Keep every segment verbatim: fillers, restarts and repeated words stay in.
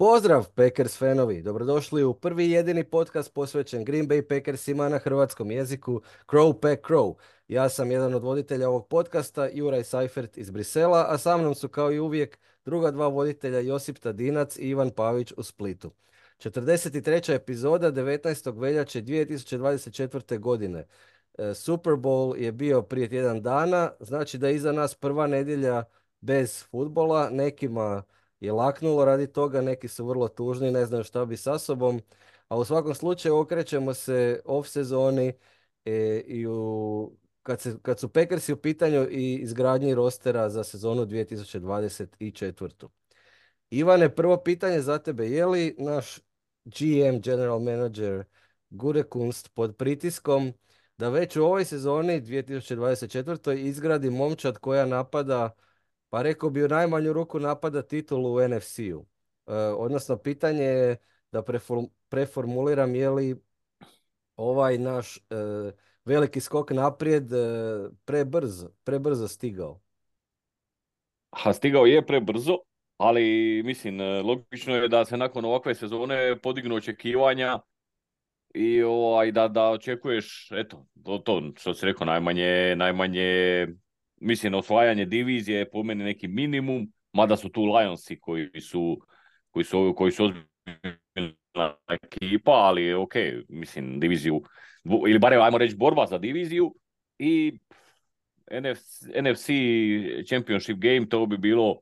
Pozdrav Packers fanovi, dobrodošli u prvi i jedini podcast posvećen Green Bay Packersima na hrvatskom jeziku Crow Pack Crow. Ja sam jedan od voditelja ovog podcasta, Juraj Seifert iz Brisela, a sa mnom su kao i uvijek druga dva voditelja Josip Tadinac i Ivan Pavić u Splitu. četrdeset treća epizoda devetnaestog veljače dvije tisuće dvadeset četvrte. godine. E, Super Bowl je bio prije tjedan dana, znači da je iza nas prva nedjelja bez futbola, nekima je laknulo radi toga, neki su vrlo tužni, ne znaju šta bi sa sobom, a u svakom slučaju okrećemo se off sezoni e, i u, kad, se, kad su Packersi u pitanju i izgradnji rostera za sezonu dvije tisuće dvadeset četvrte. Ivane, prvo pitanje za tebe, je li naš G M, General Manager Gutekunst pod pritiskom da već u ovoj sezoni dvije tisuće dvadeset četvrte. izgradi momčad koja napada, pa rekao bi u najmanju ruku napada titulu u N F C-u. E, odnosno, pitanje je da preform- preformuliram, je li ovaj naš e, veliki skok naprijed e, prebrzo, prebrzo stigao. Ha, stigao je prebrzo, ali mislim, logično je da se nakon ovakve sezone podignu očekivanja i ovaj, da, da očekuješ, eto, to, to što si rekao, najmanje, najmanje, mislim, osvajanje divizije je po meni neki minimum, mada su tu Lionsi koji su, koji su, koji su ozbiljna ekipa, ali ok, mislim, diviziju, ili barem, ajmo reći, borba za diviziju i N F C, N F C Championship Game, to bi bilo,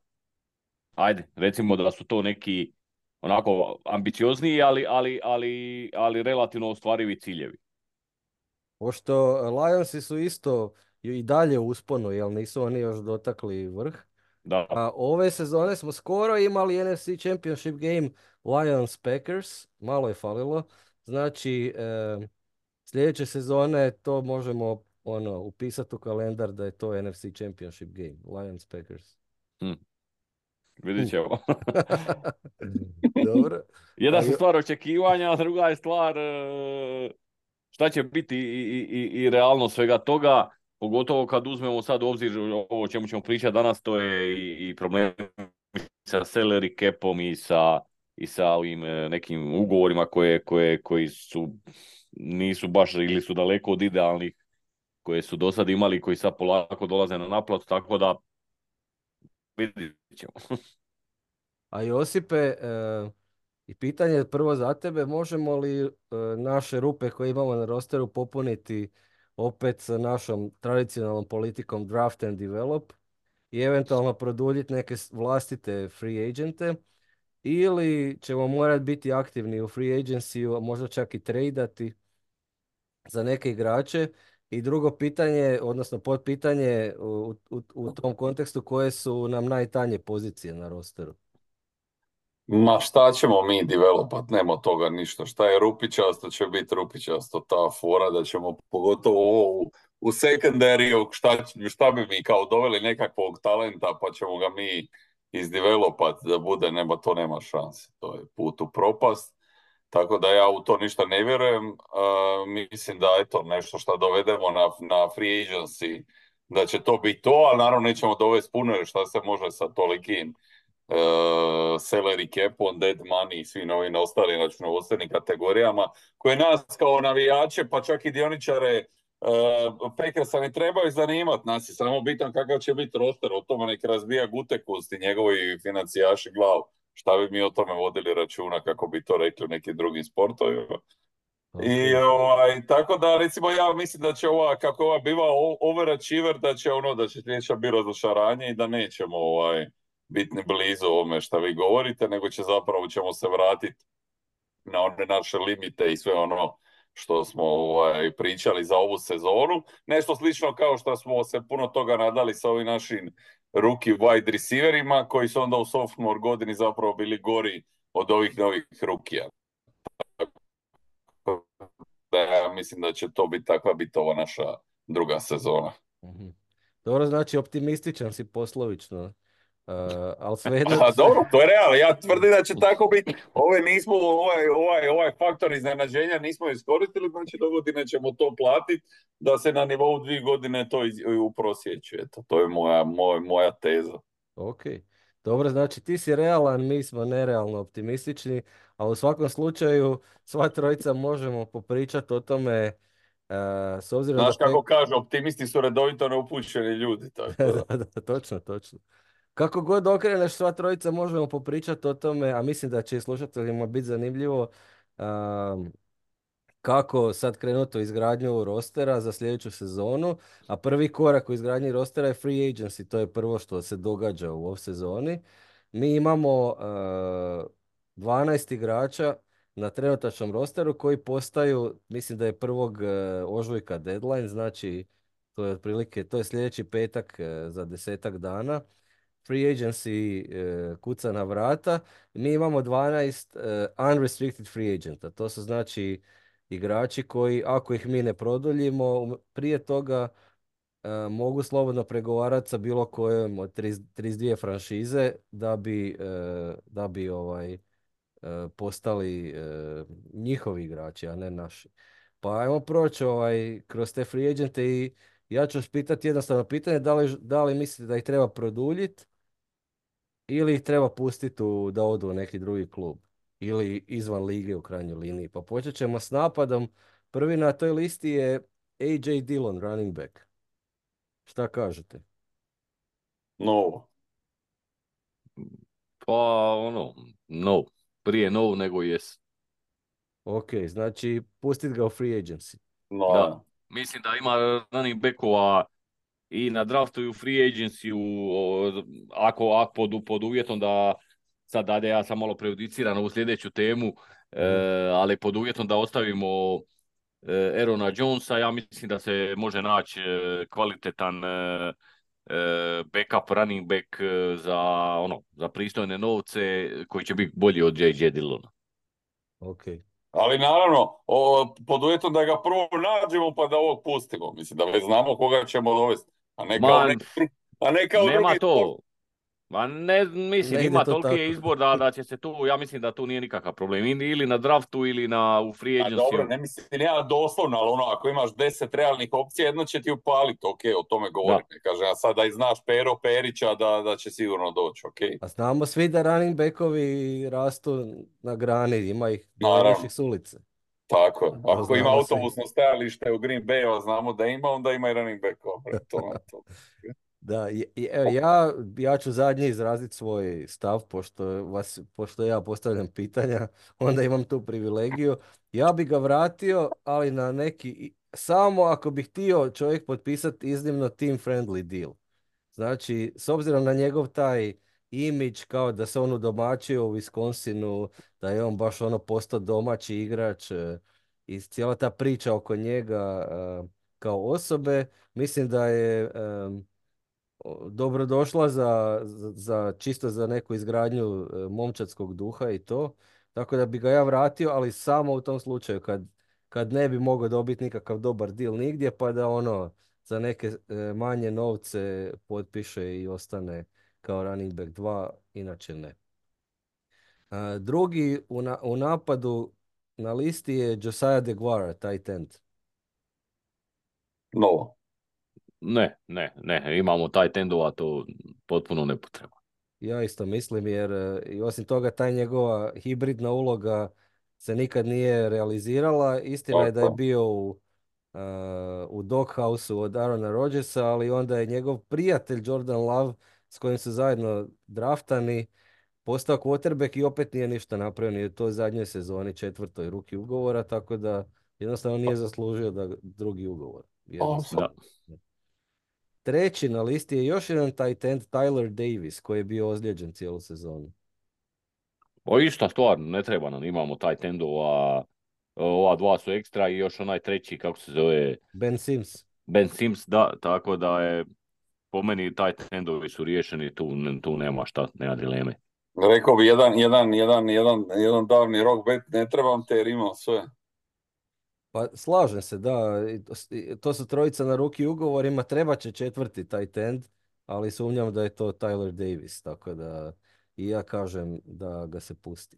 ajde, recimo da su to neki onako ambiciozniji, ali, ali, ali, ali relativno ostvarivi ciljevi. Pošto Lionsi su isto i dalje u usponu, jer nisu oni još dotakli vrh. Da. A ove sezone smo skoro imali N F C Championship Game Lions Packers, malo je falilo. Znači, e, sljedeće sezone to možemo ono, upisati u kalendar da je to N F C Championship Game, Lions Packers. Hm. Vidjet ćemo. Dobro. Jedna A su jo- stvar očekivanja, a druga je stvar e, šta će biti i, i, i realno svega toga, pogotovo kad uzmemo sad u obzir ovo o čemu ćemo pričati danas, to je i, i problem sa salary capom i sa, i sa ovim e, nekim ugovorima koje, koje, koji su nisu baš ili su daleko od idealnih koje su do sad imali, koji sad polako dolaze na naplatu, tako da vidjet ćemo. A Josipe, e, i pitanje je prvo za tebe, možemo li e, naše rupe koje imamo na rosteru popuniti opet sa našom tradicionalnom politikom draft and develop i eventualno produljiti neke s- vlastite free agente, ili ćemo morati biti aktivni u free agency, a možda čak i tradati za neke igrače. I drugo pitanje, odnosno potpitanje u, u, u tom kontekstu, koje su nam najtanje pozicije na rosteru. Ma šta ćemo mi developat, nema od toga ništa. Šta je rupičasto će biti rupičasto, ta fora da ćemo pogotovo ovo u, u secondaryu, šta, šta bi mi kao doveli nekakvog talenta pa ćemo ga mi izdevelopat da bude, nema, to nema šanse. To je put u propast. Tako da ja u to ništa ne vjerujem. Uh, mislim da eto nešto što dovedemo na, na free agency, da će to biti to, ali naravno nećemo dovesti puno jer šta se može sa tolikim uh, salary capom, dead money i svim ovim ostalim računovodstvenim kategorijama koje nas kao navijače pa čak i dioničare uh, Packersa ne trebaju zanimati. Nas je samo bitan kakav će biti roster, o tome nek razbija Gutekunst i njegovi financijaši glavu. Šta bi mi o tome vodili računa, kako bi to rekli u nekim drugim sportovima. I Ok. ovaj, tako da recimo ja mislim da će ova, kako ova biva o- overachiever, da će ono, da će sljedeća biti razočaranje i da nećemo ovaj, biti ni blizu ovome što vi govorite, nego će zapravo ćemo se vratiti na one naše limite i sve ono što smo ovaj, pričali za ovu sezonu. Nešto slično kao što smo se puno toga nadali sa ovim našim rookie wide receiverima, koji su onda u sophomore godini zapravo bili gori od ovih novih rukija. Da ja mislim da će to biti takva biti ova naša druga sezona. Mhm. Dobro, znači optimističan si poslovično, uh, ali svejedno... A dobro, to je realno. Ja tvrdim da će tako biti. Ove nismo, ovaj, ovaj, ovaj faktor iznenađenja nismo iskoristili, znači do godine ćemo to platiti da se na nivou dvije godine to iz, uprosjećuje. Eto, to je moja, moj, moja teza. Ok. Dobro, znači ti si realan, mi smo nerealno optimistični, ali u svakom slučaju sva trojica možemo popričati o tome, e, s obzirom da... Znaš Pe... kako kaže, optimisti su redovito neupućeni ljudi, tako da. da, da, točno, točno. Kako god okreneš, sva trojica možemo popričati o tome, a mislim da će i slušateljima biti zanimljivo, um, kako sad krenuti u izgradnju rostera za sljedeću sezonu, a prvi korak u izgradnji rostera je free agency, to je prvo što se događa u off sezoni. Mi imamo uh, dvanaest igrača na trenutačnom rosteru koji postaju, mislim da je prvog uh, ožujka deadline, znači to je otprilike, to je sljedeći petak uh, za desetak dana. Free agency uh, kuca na vrata. Mi imamo dvanaest uh, unrestricted free agenta. To su znači igrači koji, ako ih mi ne produljimo, um, prije toga uh, mogu slobodno pregovarati sa bilo kojom od trideset, trideset dvije franšize da bi, uh, da bi ovaj, uh, postali uh, njihovi igrači, a ne naši. Pa ajmo proći ovaj, kroz te free agente i ja ću vas pitati jednostavno pitanje, da li, da li mislite da ih treba produljiti ili ih treba pustiti u, da odu u neki drugi klub ili izvan lige u krajnjoj liniji. Pa počet ćemo s napadom. Prvi na toj listi je A J Dillon, running back. Šta kažete? No, Pa ono, no. Prije no nego yes. Ok, znači pustit ga u free agency. Da. no, Mislim da ima running backova i na draftu i u free agency ako, ako pod, pod uvjetom da sad dalje ja sam malo prejudiciran ovu sljedeću temu, e, Mhm. ali pod uvjetom da ostavimo e, Aarona Jonesa, ja mislim da se može naći e, kvalitetan e, e, backup running back e, za ono za pristojne novce koji će biti bolji od J J Dillona. Ok. ali naravno, o, pod uvjetom da ga prvo nađemo pa da ovog pustimo. Mislim da već znamo koga ćemo dovesti. A ne kao, Man, neki, dru- a ne kao nema drugi sport. to. Ma ne, mislim, Ne ide ima to toliki tako. izbor da, da će se tu, ja mislim da tu nije nikakav problem. Ili ili na draftu ili na, u free A dobro, agency. ne mislim ja doslovno, ali ono, ako imaš deset realnih opcija, jedno će ti upaliti, ok, o tome Da. govorim. Ne kažem ja sad da i znaš Pero Perića da, da će sigurno doći, ok. A znamo svi da running backovi rastu na grani, ima ih Naravno, bjelonoših s ulice. tako je. To Ako ima znamo svi. autobusno stajalište u Green Bayu, a znamo da ima, onda ima i running backova. Prema tome, to. Da, i- i- evo, ja, ja ću zadnji izraziti svoj stav, pošto, vas, pošto ja postavljam pitanja, onda imam tu privilegiju. Ja bi ga vratio, ali na neki, samo ako bi htio čovjek potpisati iznimno team friendly deal. Znači, s obzirom na njegov taj imidž kao da se on udomaćio u Wisconsinu, da je on baš ono postao domaći igrač e, i cijela ta priča oko njega e, kao osobe, mislim da je e, o, dobrodošla za, za, za- čisto za neku izgradnju e, momčadskog duha i to. Tako da bi ga ja vratio, ali samo u tom slučaju kad, kad ne bi mogao dobiti nikakav dobar deal nigdje, pa da ono za neke e, manje novce potpiše i ostane kao running back dva, inače ne. A, drugi u, na- u napadu na listi je Josiah DeGuara, tight end. No. Ne, ne, ne. Imamo taj tendova, to potpuno nepotrebno. Ja isto mislim jer e, i osim toga taj njegova hibridna uloga se nikad nije realizirala. Istina je da je Tako. bio u, uh, u Doghouse-u od Aarona Rodgersa, ali onda je njegov prijatelj Jordan Love s kojim su zajedno draftani postao quarterback i opet nije ništa napravio ni u toj zadnjoj sezoni, četvrtoj ruki ugovora, tako da jednostavno nije zaslužio da drugi ugovor. Jednostavno. Da. Treći na listi je još jedan tight end, Tyler Davis, koji je bio ozlijeđen cijelu sezonu. O ista stvar, ne treba nam, imamo taj tendova, ova dva su ekstra i još onaj treći, kako se zove, Ben Sims. Ben Sims, da, tako da je po meni taj tendovi su riješeni, tu, tu nema šta, nema dileme. Rekao bi jedan, jedan, jedan, jedan, jedan davni rock bet, ne trebam te jer imam sve. Pa slažem se, da. i to s- i To su trojica na ruki ugovorima, treba će četvrti tight end, ali sumnjam da je to Tyler Davis, tako da i ja kažem da ga se pusti.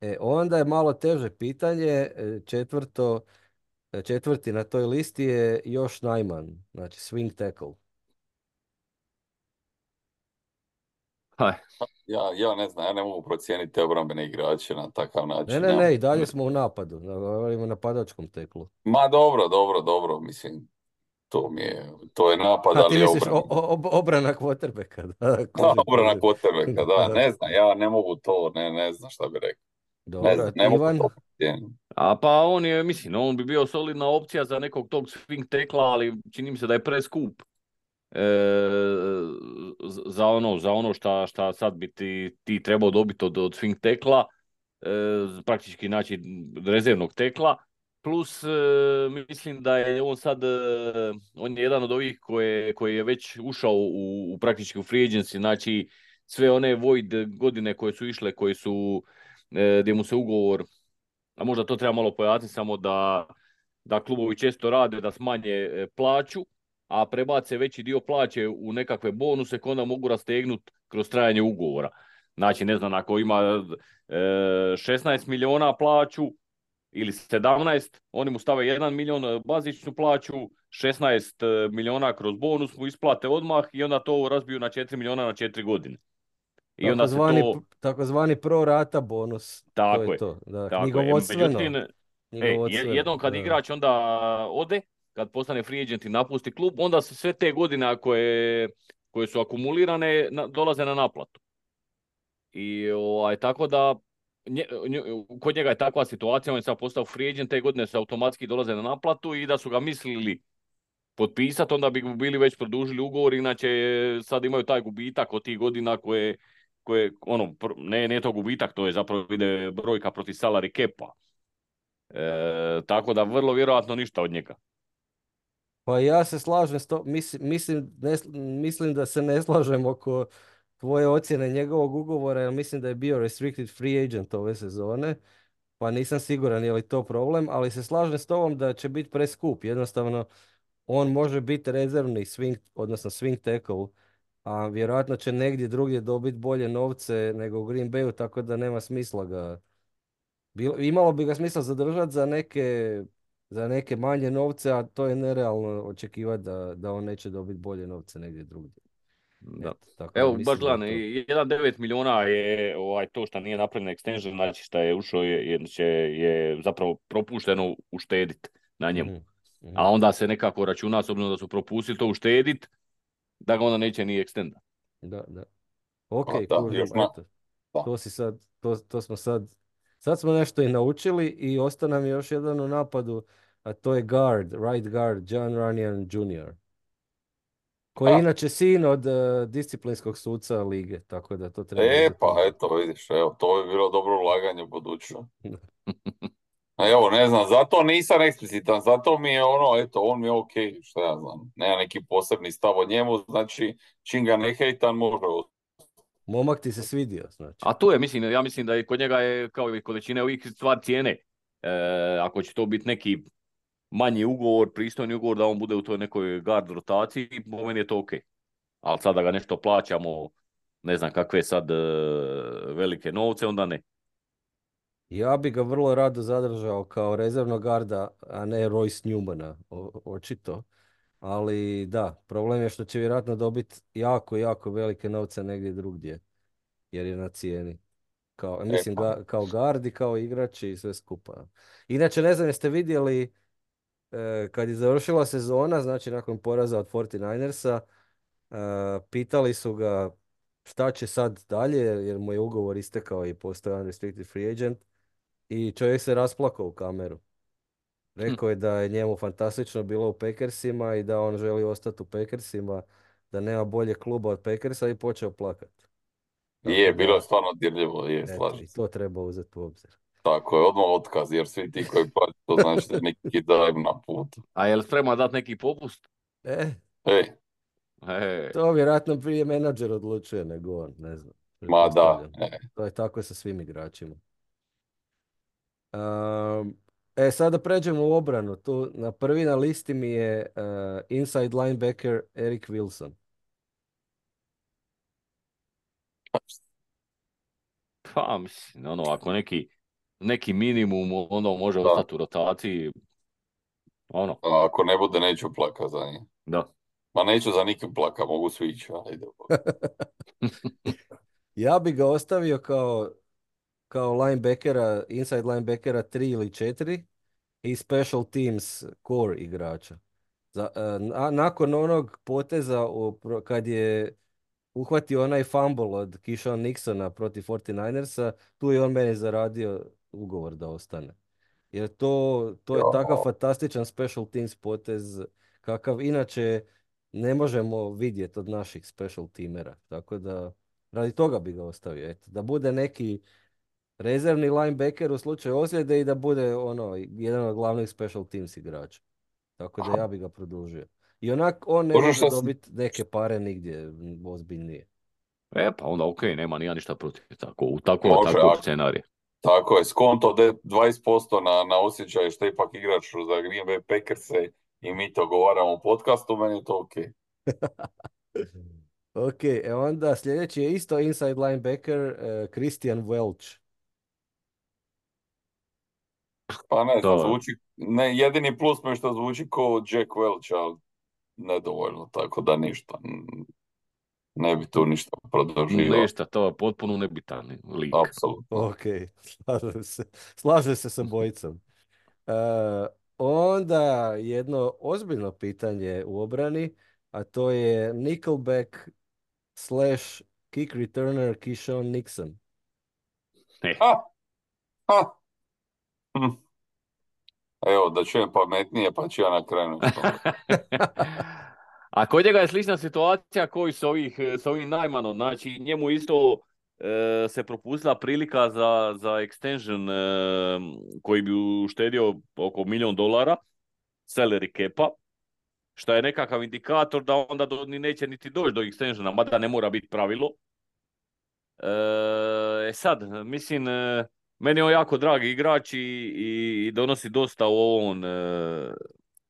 E, onda je malo teže pitanje, e, četvrto, e, četvrti na toj listi je još Najman, znači swing tackle. Aj, Ja, ja ne znam, ja ne mogu procijeniti te obrambene igrače na takav Ne, način. ne, Nemam. ne, i dalje smo u napadu, na, na napadačkom teklu. Ma dobro, dobro, dobro, mislim, to mi je, to je napad, A ti ali je misliš o, obrana. o, ob- obrana quarterbacka, da, Da, kužim, obrana kužim. quarterbacka, da, Da. ne znam, ja ne mogu to, ne, ne znam šta bi rekao. Ne Dobro, znam, a ne mogu Ivan? to procijeniti. a pa on je, mislim, on bi bio solidna opcija za nekog tog swing tekla, ali čini mi se da je preskup. E, z- za ono, za ono šta, šta sad bi ti, ti trebao dobiti od, od swing tekla, e, praktički znači rezervnog tekla, plus e, mislim da je on sad, e, on je jedan od ovih koje, koji je već ušao u, u praktički u free agency, znači sve one void godine koje su išle, koje su, e, gdje mu se ugovor, a možda to treba malo pojasniti samo da, da klubovi često rade da smanje e, plaću, a prebace veći dio plaće u nekakve bonuse koje onda mogu rastegnuti kroz trajanje ugovora. Znači, ne znam, ako ima e, šesnaest miliona plaću ili sedamnaest, oni mu stave jedan milion bazičnu plaću, šesnaest miliona kroz bonus mu isplate odmah i onda to razbiju na četiri miliona na četiri godine. I onda se Takozvani, to, takozvani pro rata bonus, to je tako je, to, da, tako je. E, knjigovodstveno, međutim, e, je- knjigovodstveno, jednom kad da. igrač onda ode, kad postane free agent i napusti klub, onda se sve te godine koje, koje su akumulirane na- dolaze na naplatu. I ovaj, tako da nje, nje- kod njega je takva situacija, on je sad postao free agent, te godine se automatski dolaze na naplatu i da su ga mislili potpisati, onda bi mu bili već produžili ugovor, inače sad imaju taj gubitak od tih godina koje, koje ono, pr- ne, ne to gubitak, to je zapravo ide brojka protiv salary capa. E, tako da vrlo vjerojatno ništa od njega. Pa ja se slažem s to, mislim, mislim, ne s- mislim da se ne slažem oko tvoje ocjene njegovog ugovora, jer mislim da je bio restricted free agent ove sezone, pa nisam siguran je li to problem, ali se slažem s tobom da će biti preskup. Jednostavno, on može biti rezervni swing, odnosno swing tackle, a vjerojatno će negdje drugdje dobiti bolje novce nego u Green Bayu, tako da nema smisla ga. Bilo, imalo bi ga smisla zadržati za neke, za neke manje novce, a to je nerealno očekivati da, da on neće dobiti bolje novce negdje drugdje. Da. Eto, tako da Evo, baš mislim da je gledam, to. jedan zarez devet miliona je ovaj, to što nije napravljen extension, znači što je ušao je, je, će- je zapravo propušteno uštedit na njemu. Mhm, mhm. A onda se nekako računa, s obzirom da su propustili to uštedit, da ga onda neće ni extenda. Da, da. Ok, Pa da, još kužim, na, eto. da. To si sad, to, to smo sad, sad smo nešto i naučili i ostao nam je još jedan u napadu, a to je guard, right guard, John Runyan junior koji je Ha, inače sin od eh, disciplinskog suca lige, tako da to treba e, uzeti u pa obzir. eto, vidiš, evo, to bi bilo dobro ulaganje u budućnost. A evo, ne znam, zato nisam eksplicitan, zato mi je ono, eto, on mi je ok, šta ja znam, nema neki posebni stav o njemu, znači, čim ga ne hejtan, može. Momak ti se svidio, znači. A tu je, mislim, ja mislim da je kod njega je kao i kod većine ovih stvar cijene. E, ako će to biti neki manji ugovor, pristojni ugovor, da on bude u toj nekoj guard rotaciji, po meni je to ok. Ali sad da ga nešto plaćamo, ne znam kakve sad e, velike novce, onda ne. Ja bi ga vrlo rado zadržao kao rezervnog garda, a ne Royce Newmana, o- očito. Ali da, problem je što će vjerojatno dobiti jako, jako velike novce negdje drugdje, jer je na cijeni. Kao, E, mislim, pa, ga, kao gardi, kao igrači i sve skupa. Inače, ne znam, jeste vidjeli e, kad je završila sezona, znači nakon poraza od četrnaestersa, e, pitali su ga šta će sad dalje, jer mu je ugovor istekao i postao unrestricted free agent. I čovjek se rasplakao u kameru. Rekao je da je njemu fantastično bilo u Packersima i da on želi ostati u Packersima, da nema bolje kluba od Packersa i počeo plakati. Tako je, bilo je da, stvarno dirljivo, je, eto, slažem i se. to treba uzeti u obzir. Tako je, odmah otkaz, jer svi ti koji plaćaju, to znači da je neki dajem na put. A je li spreman dati neki popust? E, E, E, to vjerojatno prije menadžer odlučuje nego on, ne znam, ma da, pretpostavljam. e, To je tako sa svim igračima. Um, e, sada pređemo u obranu. Tu na prvi na listi mi je uh, inside linebacker Eric Wilson. pa mislim, ono, ako neki, neki minimum ono može da. ostati u rotaciji, ono, A ako ne bude, neću plaka za njih. da. Ma neću za nikim plaka, mogu svi ići, ajde. Ja bi ga ostavio kao, kao linebackera, inside linebackera tri ili četiri i special teams core igrača. Za, e, na- nakon onog poteza u, pro- kad je uhvatio onaj fumble od Keyshawn Nixona protiv četrnaest ersa, tu je on meni zaradio ugovor da ostane. Jer to, to je takav Jo, fantastičan special teams potez kakav inače ne možemo vidjeti od naših special teamera. Tako da radi toga bi ga ostavio. Eto, da bude neki rezervni linebacker u slučaju ozljede i da bude ono jedan od glavnih special teams igrača. Tako da ja bi ga produžio. I onak on ne Bože može šta si, dobiti neke pare nigdje m, ozbiljnije. E, pa onda ok, nema ni ja ništa protiv tako, u tako, može, takvog a, scenarija. tako je, skonto de- dvadeset posto na, na osjećaj što ipak igrač za Green Bay Packerse i mi to govaramo u podcastu, meni je to ok. Ok, e onda sljedeći je isto inside linebacker uh, Christian Welch. Pa ne znam, To, zvuči, ne, jedini plus mi je što zvuči kao Jack Welch, ali nedovoljno, tako da ništa. mm, Ne bi tu ništa produživao, ništa, to je potpuno nebitan lik. apsolutno. Ok, slažem se. Slažem se sa bojicom. E, onda jedno ozbiljno pitanje u obrani, a to je nickelback slash kick returner Keyshawn Nixon. E. Ha, ha, hm. Evo, da čujem pametnije, pa ću ja na kraju nešto. A kod njega je slična situacija koji s ovih, s ovim Najmanom. Znači, njemu isto e, se propustila prilika za, za extension e, koji bi uštedio oko milijon dolara salary capa, što je nekakav indikator da onda do, ni neće niti doći do extensiona, mada ne mora biti pravilo. E, sad, mislim, e, meni je on jako dragi igrač i, i, i donosi dosta u ovom e,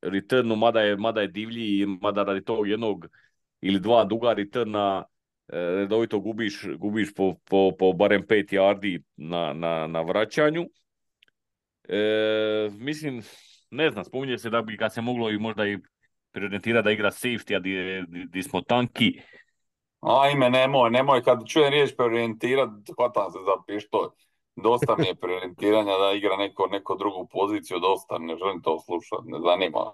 returnu, mada je, mada je divlji i mada radi tog jednog ili dva duga returna e, redovito gubiš, gubiš po, po, po barem pet yardi na, na, na vraćanju. E, mislim, ne znam, spominje se da bi ga se moglo i možda i preorijentirati da igra safety, a di, di, di smo tanki. Ajme, nemoj, nemoj, kad čujem riječ preorijentirat, hvatam se za pištolj. Dosta mi je preorijentiranja da igra neko, neko drugu poziciju, dosta, ne želim to slušati, ne zanima.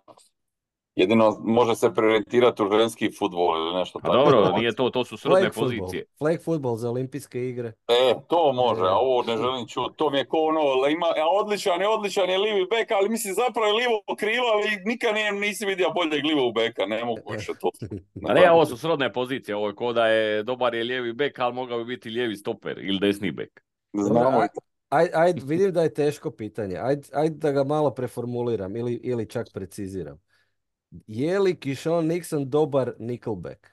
Jedino može se preorijentirati u ženski futbol ili nešto Pa tako. dobro, nije to, to su srodne Flag football. pozicije. Flag football za olimpijske igre. E, to može, a E. ovo ne želim čuti. To mi je ko ono, ima, a odličan je, odličan je livi bek, ali mislim zapravo je livo krilo, ali nikad nije, nisi vidio boljeg livog beka, ne mogu više to. A ne, ovo su srodne pozicije, ovo je ko da je dobar je lijevi bek, ali mogao bi biti lijevi stoper ili desni bek. Dobro, Znamo i aj, aj, aj, vidim da je teško pitanje. Ajde aj da ga malo preformuliram ili, ili čak preciziram. Je li Keyshawn Nixon dobar nickelback?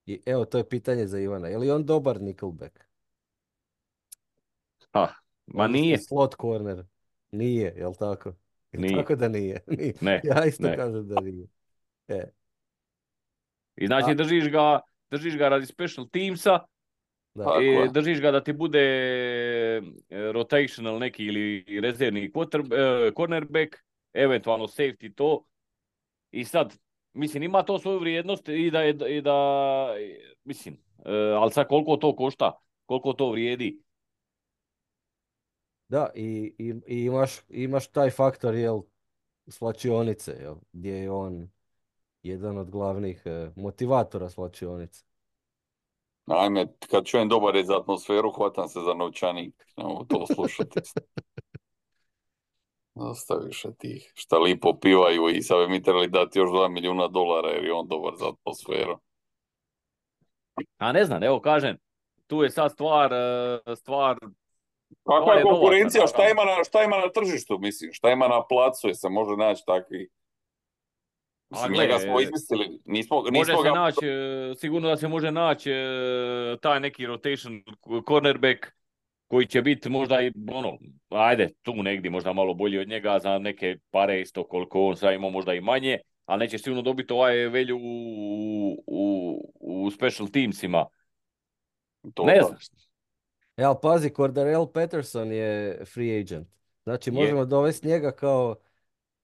I, evo, to je pitanje za Ivana. Je li on dobar nickelback? Ha, ma Odnosno nije, slot corner. Nije, jel tako? Jel nije, tako da nije? Nije. ne, Ja isto ne. kažem da nije. E. I A, znači držiš ga, držiš ga radi special teamsa, da. tako i je. držiš ga da ti bude e, rotational neki ili rezervni quarter, e, cornerback, eventualno safety to. I sad, mislim, ima to svoju vrijednost i da, je, i da mislim, e, ali sad koliko to košta, koliko to vrijedi. Da, i, i, i imaš, imaš taj faktor, jel, svlačionice, jel, gdje je on jedan od glavnih e, motivatora svlačionice. Ajme, kad čujem dobar je za atmosferu, hvatam se za novčanik. Ne mogu to slušati. Dosta više tih šta lipo pivaju i sad bi mi trebali dati još dva milijuna dolara jer je on dobar za atmosferu. A ne znam, evo kažem, tu je sad stvar, e, stvar, Kakva stvar je je novaca, konkurencija? Šta naravno. ima na, šta ima na tržištu, mislim? Šta ima na placu? Je se može naći takvi? A Mislim, gle, njega smo e, izmislili. Nismo, može nismo se ga... naći, e, sigurno da se može naći e, taj neki rotation cornerback koji će biti možda i ono, ajde, tu negdje možda malo bolji od njega za neke pare isto koliko on sad ima možda i manje, ali neće sigurno dobiti ovaj velju u, u, u special teamsima. To Ne da. znam. E, ali pazi, Cordarrelle Patterson je free agent. Znači, Je, možemo dovesti njega kao,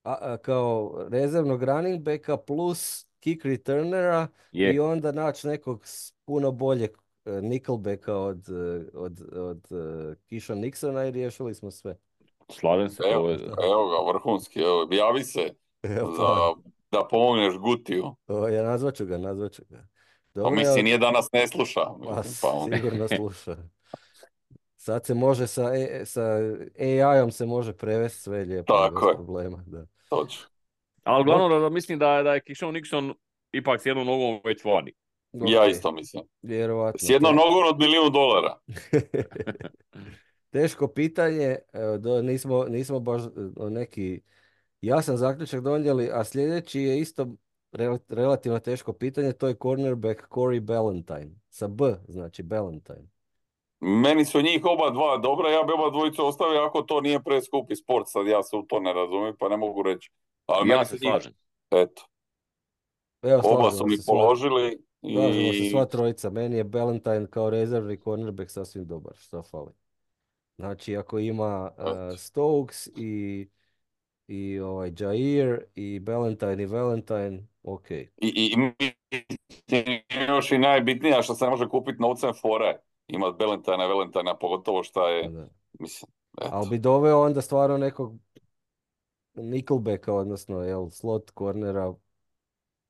a, a, kao rezervnog running backa plus kick returnera i je. onda naći nekog s puno boljeg uh, Nickelbacka od, uh, od, od uh, Keisha Nixona i riješili smo sve. Slažem se, Evo, to je... evo ga, vrhunski, evo, javi se Evo za, pa, da pomogneš Gutiju. o, ja nazvat ću ga, nazvat ću ga. Pa Dobro, evo, mislim, nije da nas ne sluša. pa Mislim, pa on. sigurno sluša. Sad se može sa, e, sa A I-om se može prevesti sve lijepo i bez Tako je, problema. Da. točno. Ali Ok, uglavnom da mislim da, da je Keyshawn Nixon ipak s jednom nogom već vani. ok, Ja isto mislim. S vjerovatno. jednom Te... nogom od milijun dolara. Teško pitanje, evo, do, nismo, nismo baš e, neki jasan zaključak donijeli, a sljedeći je isto rel- relativno teško pitanje, to je cornerback Corey Ballentine, sa B, znači Ballentine. Meni su njih oba dva dobra, ja bi oba dvojicu ostavio ako to nije preskupi sport, sad ja se u to ne razumijem pa ne mogu reći. Ali Ja meni su se njih, slažem. eto, Evo, oba su slažemo se mi sva, položili slažemo se sva i trojica, meni je Ballentine kao rezervni cornerback sasvim dobar, što fali. Znači, ako ima uh, eto. Stokes i, i ovaj Jair i Ballentine i Valentine, ok. I, i, i još i najbitnija što se ne može kupiti novcem fore. Imat Belentajna, Valentajna, pogotovo šta Pa je, da. mislim, Ali eto. bi doveo onda stvarno nekog Nickelbacka, odnosno jel, slot cornera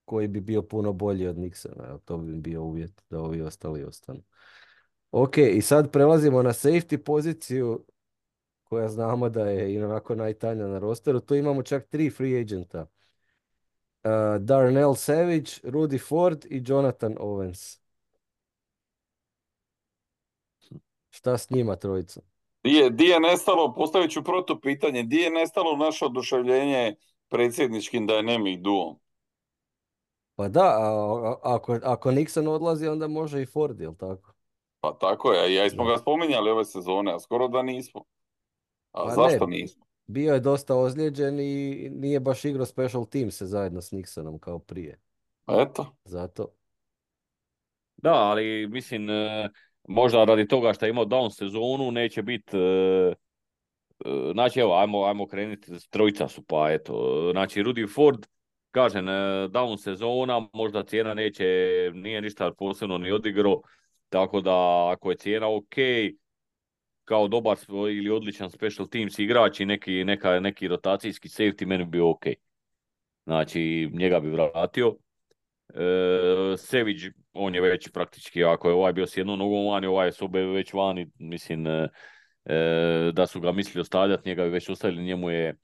koji bi bio puno bolji od Nixona. Jel, to bi bio uvjet da ovi ostali ostanu. Ok, i sad prelazimo na safety poziciju koja znamo da je i onako najtanja na rosteru. Tu imamo čak tri free agenta. Uh, Darnell Savage, Rudy Ford i Jonathan Owens. Šta s njima trojicom? Di je, di je nestalo, postavit ću protupitanje, di je nestalo naše oduševljenje predsjedničkim dynamic duom? Pa da, a, a- ako, ako Nixon odlazi, onda može i Ford, jel tako? Pa tako je, ja smo Da. ga spominjali ove sezone, a skoro da nismo. A Pa ne, zašto nismo? bio je dosta ozlijeđen i nije baš igrao special team se zajedno s Nixonom kao prije. Eto, Zato, Da, ali mislim, e, možda radi toga što je imao down sezonu, neće biti... e, e, Znači, evo, ajmo, ajmo krenuti, trojica su, pa eto. Znači, Rudy Ford, kažem, e, down sezona, možda cijena neće, nije ništa posebno ni odigrao, tako da ako je cijena ok, kao dobar svoj ili odličan special teams igrač i neki, neka, neki rotacijski safety, meni bi bio ok. Znači, njega bi vratio. E, Sević, on je već praktički, ako je ovaj bio s jednom nogom vani, ovaj je s obe već vani, mislim, e, e, da su ga mislili ostavljati, njega bi već ostavili, njemu je,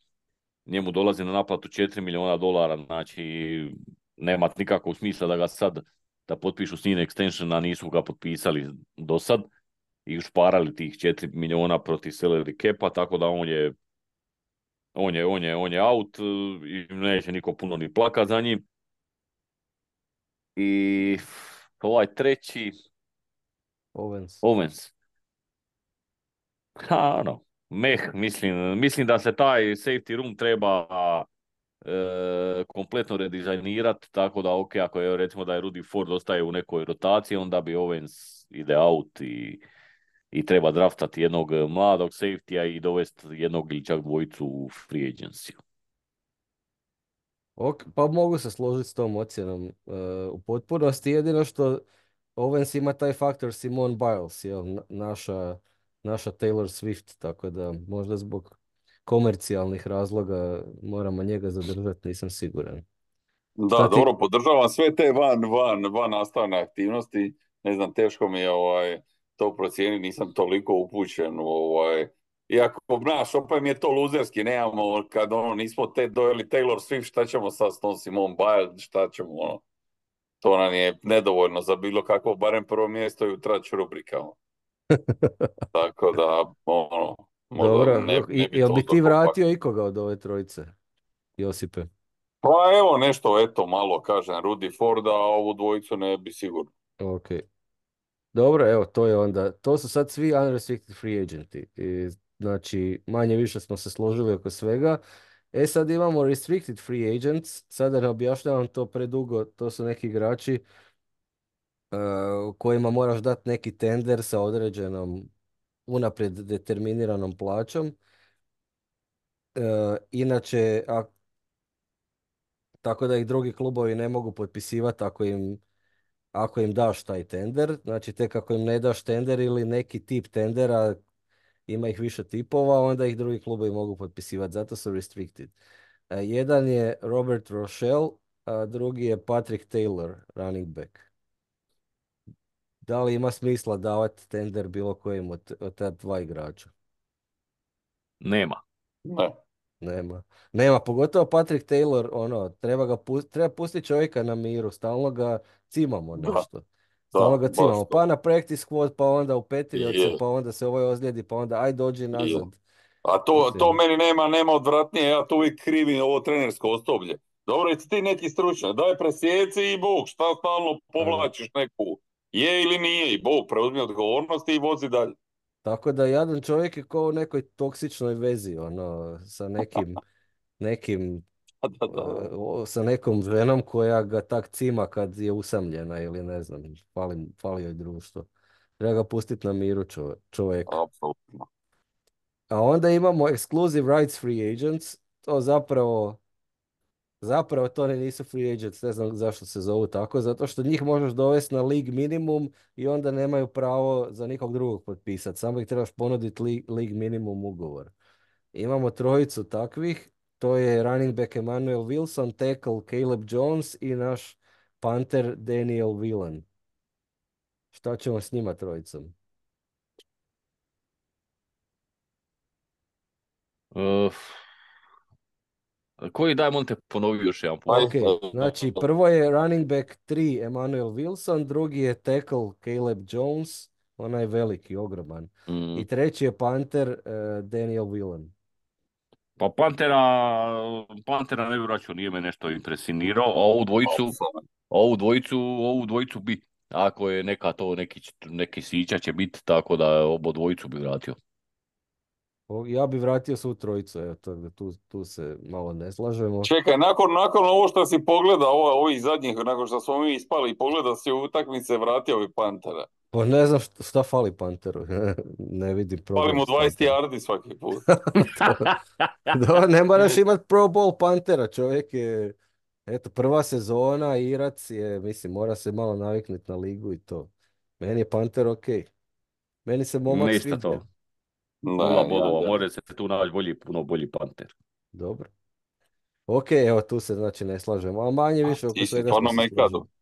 njemu dolazi na naplatu četiri milijuna dolara, znači nema nikakvog smisla da ga sad, da potpišu s njim extension, a nisu ga potpisali do sad i ušparali tih četiri milijuna protiv salary capa, tako da on je, on je, on je, on je out e, i neće niko puno ni plakat za njim. I ovaj treći, Owens. Owens. Ha, ono, meh, mislim, mislim da se taj safety room treba e, kompletno redizajnirati, tako da, ok, ako je recimo da je Rudy Ford ostaje u nekoj rotaciji, onda bi Owens ide out i, i treba draftati jednog mladog safety-a i dovesti jednog ili čak dvojicu u free agency. Ok, pa mogu se složiti s tom ocjenom e, u potpunosti. Jedino što Owens ima taj faktor Simone Biles, jel, na- naša, naša Taylor Swift, tako da možda zbog komercijalnih razloga moramo njega zadržati, nisam siguran. da, Šta ti? dobro, podržavam sve te van, van, van nastavne aktivnosti. Ne znam, teško mi je ovaj, to procijeniti, nisam toliko upućen u ovaj... Iako, znaš, opet mi je to luzerski, nemamo, kad ono, nismo te dojeli Taylor Swift, šta ćemo sad s tom Simone Biles, šta ćemo, ono, to nam je nedovoljno za bilo kakvo, barem prvo mjesto i u trać rubrikama. Tako da, ono, možda Dobro, ne, I, ne bi jel to bi ti toliko pak. vratio ikoga od ove trojice, Josipe? Pa evo nešto, eto, malo kažem, Rudy Forda, a ovu dvojicu ne bi sigurno. Ok. Dobro, evo, to je onda, to su sad svi unrestricted free agenti. I, znači, manje više smo se složili oko svega. E sad imamo restricted free agents, sada ne objašnjavam to predugo, to su neki igrači uh, kojima moraš dati neki tender sa određenom unaprijed determiniranom plaćom. Uh, inače, a, tako da ih drugi klubovi ne mogu potpisivati ako im ako im daš taj tender, znači tek ako im ne daš tender ili neki tip tendera, ima ih više tipova, onda ih drugi klubovi mogu potpisivati, zato su restricted. E, jedan je Robert Rochelle, a drugi je Patrick Taylor, running back. Da li ima smisla davati tender bilo kojim od, od ta dva igrača? Nema. Ne. Nema. Nema, pogotovo Patrick Taylor, ono, treba ga pust, treba pustiti čovjeka na miru, stalno ga cimamo Da, nešto. Stalno da, ga baš cimamo. to. Pa na practice squad, pa onda u Patriotse, Je, pa onda se ovaj ozlijedi, pa onda aj dođi je. nazad. A to, to Mislim, meni nema, nema odvratnije, ja to uvijek krivim ovo trenersko osoblje. Dobro, jesi ti neki stručnjak, daj presjeci i Bog, šta stalno a da. povlačiš neku, je ili nije, i Bog preuzmi odgovornost i vozi dalje. Tako da jadan čovjek je kao u nekoj toksičnoj vezi, ono, sa nekim, nekim, Da, da, e, o- sa nekom ženom koja ga tak cima kad je usamljena ili ne znam, fali, fali joj društvo. Treba ga pustiti na miru čove- čovjeka. apsolutno. A onda imamo exclusive rights free agents, to zapravo, zapravo to ne nisu free agents, ne znam zašto se zovu tako, zato što njih možeš dovesti na league minimum i onda nemaju pravo za nikog drugog potpisati, samo ih trebaš ponuditi league, league minimum ugovor. Imamo trojicu takvih, to je running back Emmanuel Wilson, tackle Caleb Jones i naš punter Daniel Whelan. Šta ćemo s njima trojicom? Uh, koji daj, on te ponovi još jedan put. Aj, Ok, znači prvo je running back tri Emmanuel Wilson, drugi je tackle Caleb Jones, onaj veliki, ogroman. Mm. I treći je punter eh, Daniel Whelan. Pa Pantera, Pantera ne bi vraćao, nije me nešto impresionirao, a ovu dvojicu, apsolutno. ovu dvojicu, ovu dvojicu bi. Ako je neka to, neki, neki sića će biti, tako da obo dvojicu bi vratio. O, Ja bi vratio svu trojicu, evo, to, da tu, tu se malo ne slažemo. Čekaj, nakon, nakon ovo što si pogledao, ovo, ovih zadnjih, nakon što smo mi ispali i pogledao si u utakmice, vratio bi Pantera. Pa ne znam šta, šta fali Panteru, ne vidim Fali problem mu s dvadeset Panterom. yardi svaki put. To- Da, ne moraš imat Pro Bowl Pantera, čovjek je, eto, prva sezona, Irac je, mislim, mora se malo naviknuti na ligu i to. Meni je Panter ok. Meni se momak Ništa sviđa. to. Nula Ne, ja, bodova, ja. može se tu naći bolji, puno bolji Panter. Dobro. Ok, evo, tu se znači ne slažemo, a manje više oko Ti si svega smo stvarno se mekado. složili.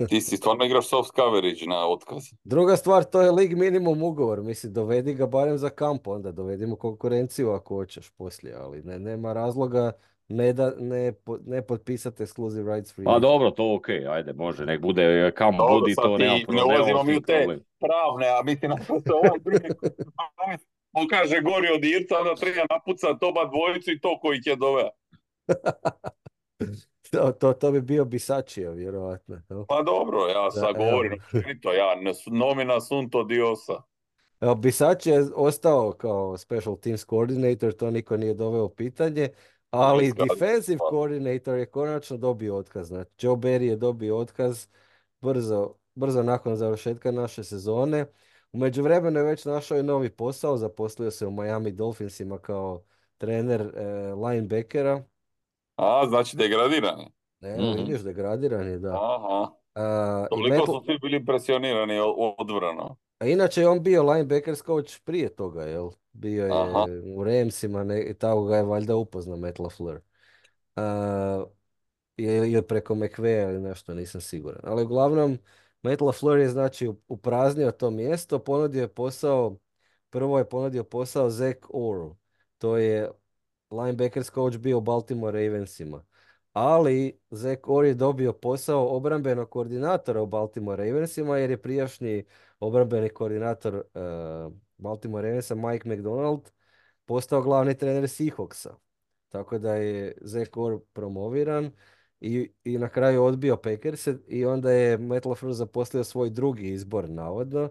Ti si stvarno igraš soft coverage na otkaz. Druga stvar, to je lig minimum ugovor. Mislim, dovedi ga barem za kamp, onda dovedimo konkurenciju ako hoćeš poslije, ali ne, nema razloga ne, da, ne, po- ne potpisati exclusive rights free A agent. dobro, to ok, ajde, može, nek bude kam Dobro, budi, sad to nemam, ti pro, ne nemamo ulazimo s mi tim u te problem. pravne, a mislim ako se ovaj drugi pokaže gori od Irca, onda treba napucati oba dvojicu i to koji će doveo. To, to, to bi bio Bisačija, vjerojatno. No? Pa dobro, ja Da, sad evo. govorim općenito, ja ne su- nomina sunto diosa. Evo, Bisač je ostao kao special teams coordinator, to niko nije doveo u pitanje, ali Iskazno. defensive coordinator je konačno dobio otkaz. Znači, Joe Barry je dobio otkaz brzo, brzo nakon završetka naše sezone. U međuvremenu je već našao i novi posao, zaposlio se u Miami Dolphinsima kao trener e, linebackera. A, znači degradiran je. Evo, Mhm. vidiš, degradiran je, da. Aha. A, i Toliko Matt, su svi bili impresionirani od- odbranom. a inače je on bio linebackers coach prije toga, jel? Bio Aha. je u Ramsima, ne, i tako ga je valjda upoznao Matt LaFleur. A, ili ili preko McVeya ili nešto, nisam siguran. Ali uglavnom, Matt LaFleur je znači upraznio to mjesto, ponudio je posao, prvo je ponudio posao Zach Orru. To je linebackers coach bio u Baltimore Ravensima. Ali Zach Orr je dobio posao obrambenog koordinatora u Baltimore Ravensima jer je prijašnji obrambeni koordinator uh, Baltimore Ravensa Mike McDonald postao glavni trener Seahawksa. Tako da je Zach Orr promoviran i, i na kraju odbio Packerse i onda je Matt LaFleur zaposlio svoj drugi izbor navodno,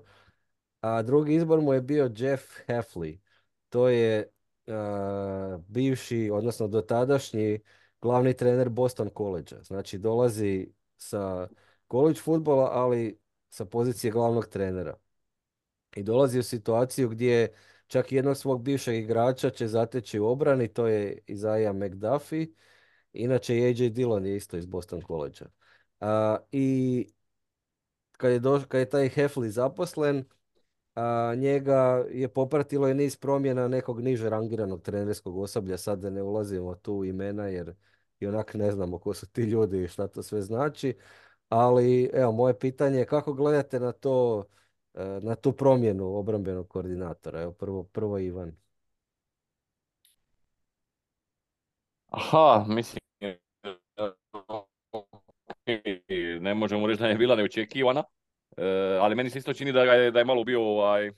a drugi izbor mu je bio Jeff Hafley. To je a, bivši, odnosno dotadašnji glavni trener Boston College. Znači dolazi sa college futbola, ali sa pozicije glavnog trenera. I dolazi u situaciju gdje čak i jednog svog bivšeg igrača će zateći u obrani, to je Isaiah McDuffie. Inače, A J Dillon je isto iz Boston College. I kad je, doš, kad je taj Hefli zaposlen, a njega je popratilo i niz promjena nekog niže rangiranog trenerskog osoblja, sad da ne ulazimo tu u imena jer i onak ne znamo ko su ti ljudi i šta to sve znači, ali evo moje pitanje je kako gledate na to, e, na tu promjenu obrambenog koordinatora, evo prvo, prvo Ivan. Aha, mislim, ne možemo reći da je bila neočekivana, e, ali meni se isto čini da, ga je, da je malo bio ovaj,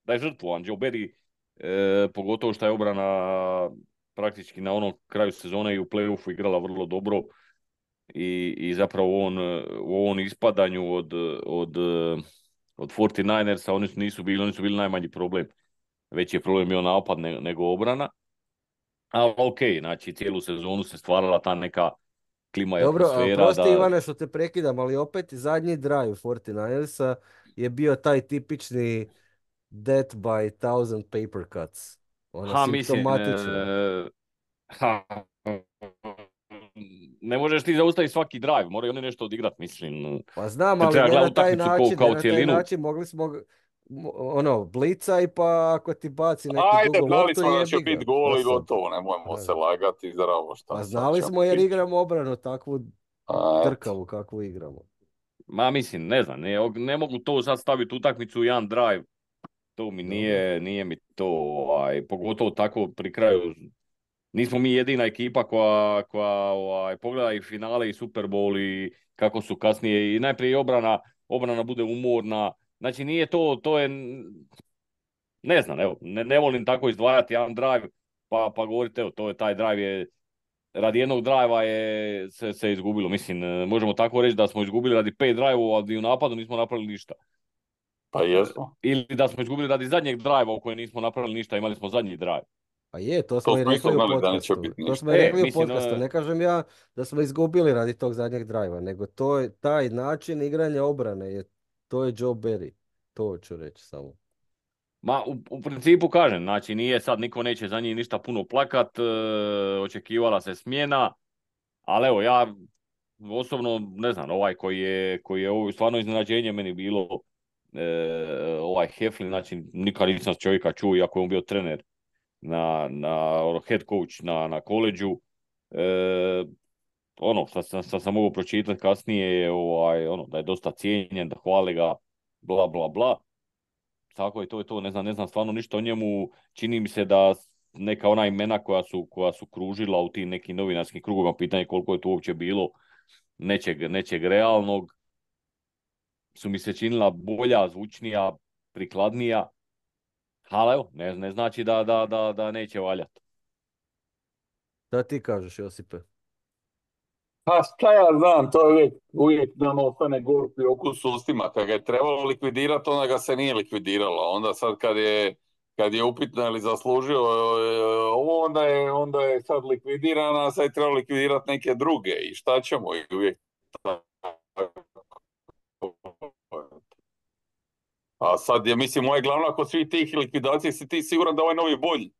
da je žrtvovan Joe Barry, e, pogotovo što je obrana praktički na onom kraju sezone i u play-offu igrala vrlo dobro i, i zapravo on, u ovom ispadanju od, od, od četrdeset devetersa oni su nisu bili, oni su bili najmanji problem. Veći je problem bio napad ne, nego obrana. Ali ok, znači cijelu sezonu se stvarala ta neka klima i Dobro, a atmosfera prosti da... Ivane što te prekidam, ali opet zadnji drive četrdeset devetersa je bio taj tipični death by thousand paper cuts. Ono Ha, mislim, simptomatično. e, ha, ne možeš ti zaustaviti svaki drive, moraju oni nešto odigrat, mislim. Pa znam, Te ali treba ne na gledati taj utakmicu kao, način, ne kao na taj cijelinu. način, mogli smo mo- ono, blica i pa ako ti baci neku Ajde, dugu znali loptu smo da će jebi ga. biti gol Šta i sad? gotovo, nemojmo se A, lagati, zdravo šta Pa sad znali ćemo smo jer pričati. igramo obranu takvu A, eto. drkavu kakvu igramo. Ma mislim, ne znam, ne, ne mogu to sad staviti utakmicu u jedan drive. To mi Dobro. nije, nije mi to, ovaj, pogotovo tako pri kraju. Nismo mi jedina ekipa koja, koja ovaj, pogleda i finale i Super Bowl i kako su kasnije i najprije i obrana, obrana bude umorna. Znači nije to, to je, ne znam, evo, ne, ne volim tako izdvajati jedan drive pa, pa govoriti, evo, to je taj drive je, radi jednog drajva je se, se izgubilo. Mislim, e, možemo tako reći da smo izgubili radi pet drajvova, ali u napadu nismo napravili ništa. Pa jesmo. Ili da smo izgubili radi zadnjeg drajva u kojem nismo napravili ništa, imali smo zadnji drive. Pa je, to To smo i smo isto rekli u znali da neće podcastu. biti To ništa. smo i E, rekli u mislim, podcastu. e, Ne kažem ja da smo izgubili radi tog zadnjeg drajva, nego to je taj način igranja obrane. Je, to je Joe Barry. To ću reći samo. ma u, u principu kažem, znači nije sad, niko neće za njih ništa puno plakat, e, očekivala se smjena, ali evo ja osobno ne znam, ovaj koji je, koji je ovo stvarno iznenađenje meni bilo, e, ovaj Heflin, znači nikad nisam čovjeka čuo, iako je on bio trener na, na ono, head coach na, na koleđu. E, ono što sam, što sam mogao pročitati kasnije je ovaj, ono, da je dosta cijenjen, da hvale ga, bla bla bla. Tako je to je to, ne znam, ne znam stvarno ništa o njemu. Čini mi se da neka ona imena koja su, koja su kružila u tim nekim novinarskim krugovima, pitanje koliko je to uopće bilo nečeg, nečeg realnog, su mi se činila bolja, zvučnija, prikladnija. Ali evo, ne, ne znači da, da, da, da neće valjati. Da ti kažeš, Josipe? Pa šta ja znam, to je uvijek, uvijek nam ostane gorki okus u ustima. Kad ga je trebalo likvidirati, onda ga se nije likvidiralo. Onda sad kad je, kad je upitno je li zaslužio e, ovo, onda je, onda je sad likvidiran, a sad je trebalo likvidirati neke druge. I šta ćemo? I uvijek a sad je, mislim, moje glavno kod svih tih likvidacija si ti siguran da ovaj novi bolji.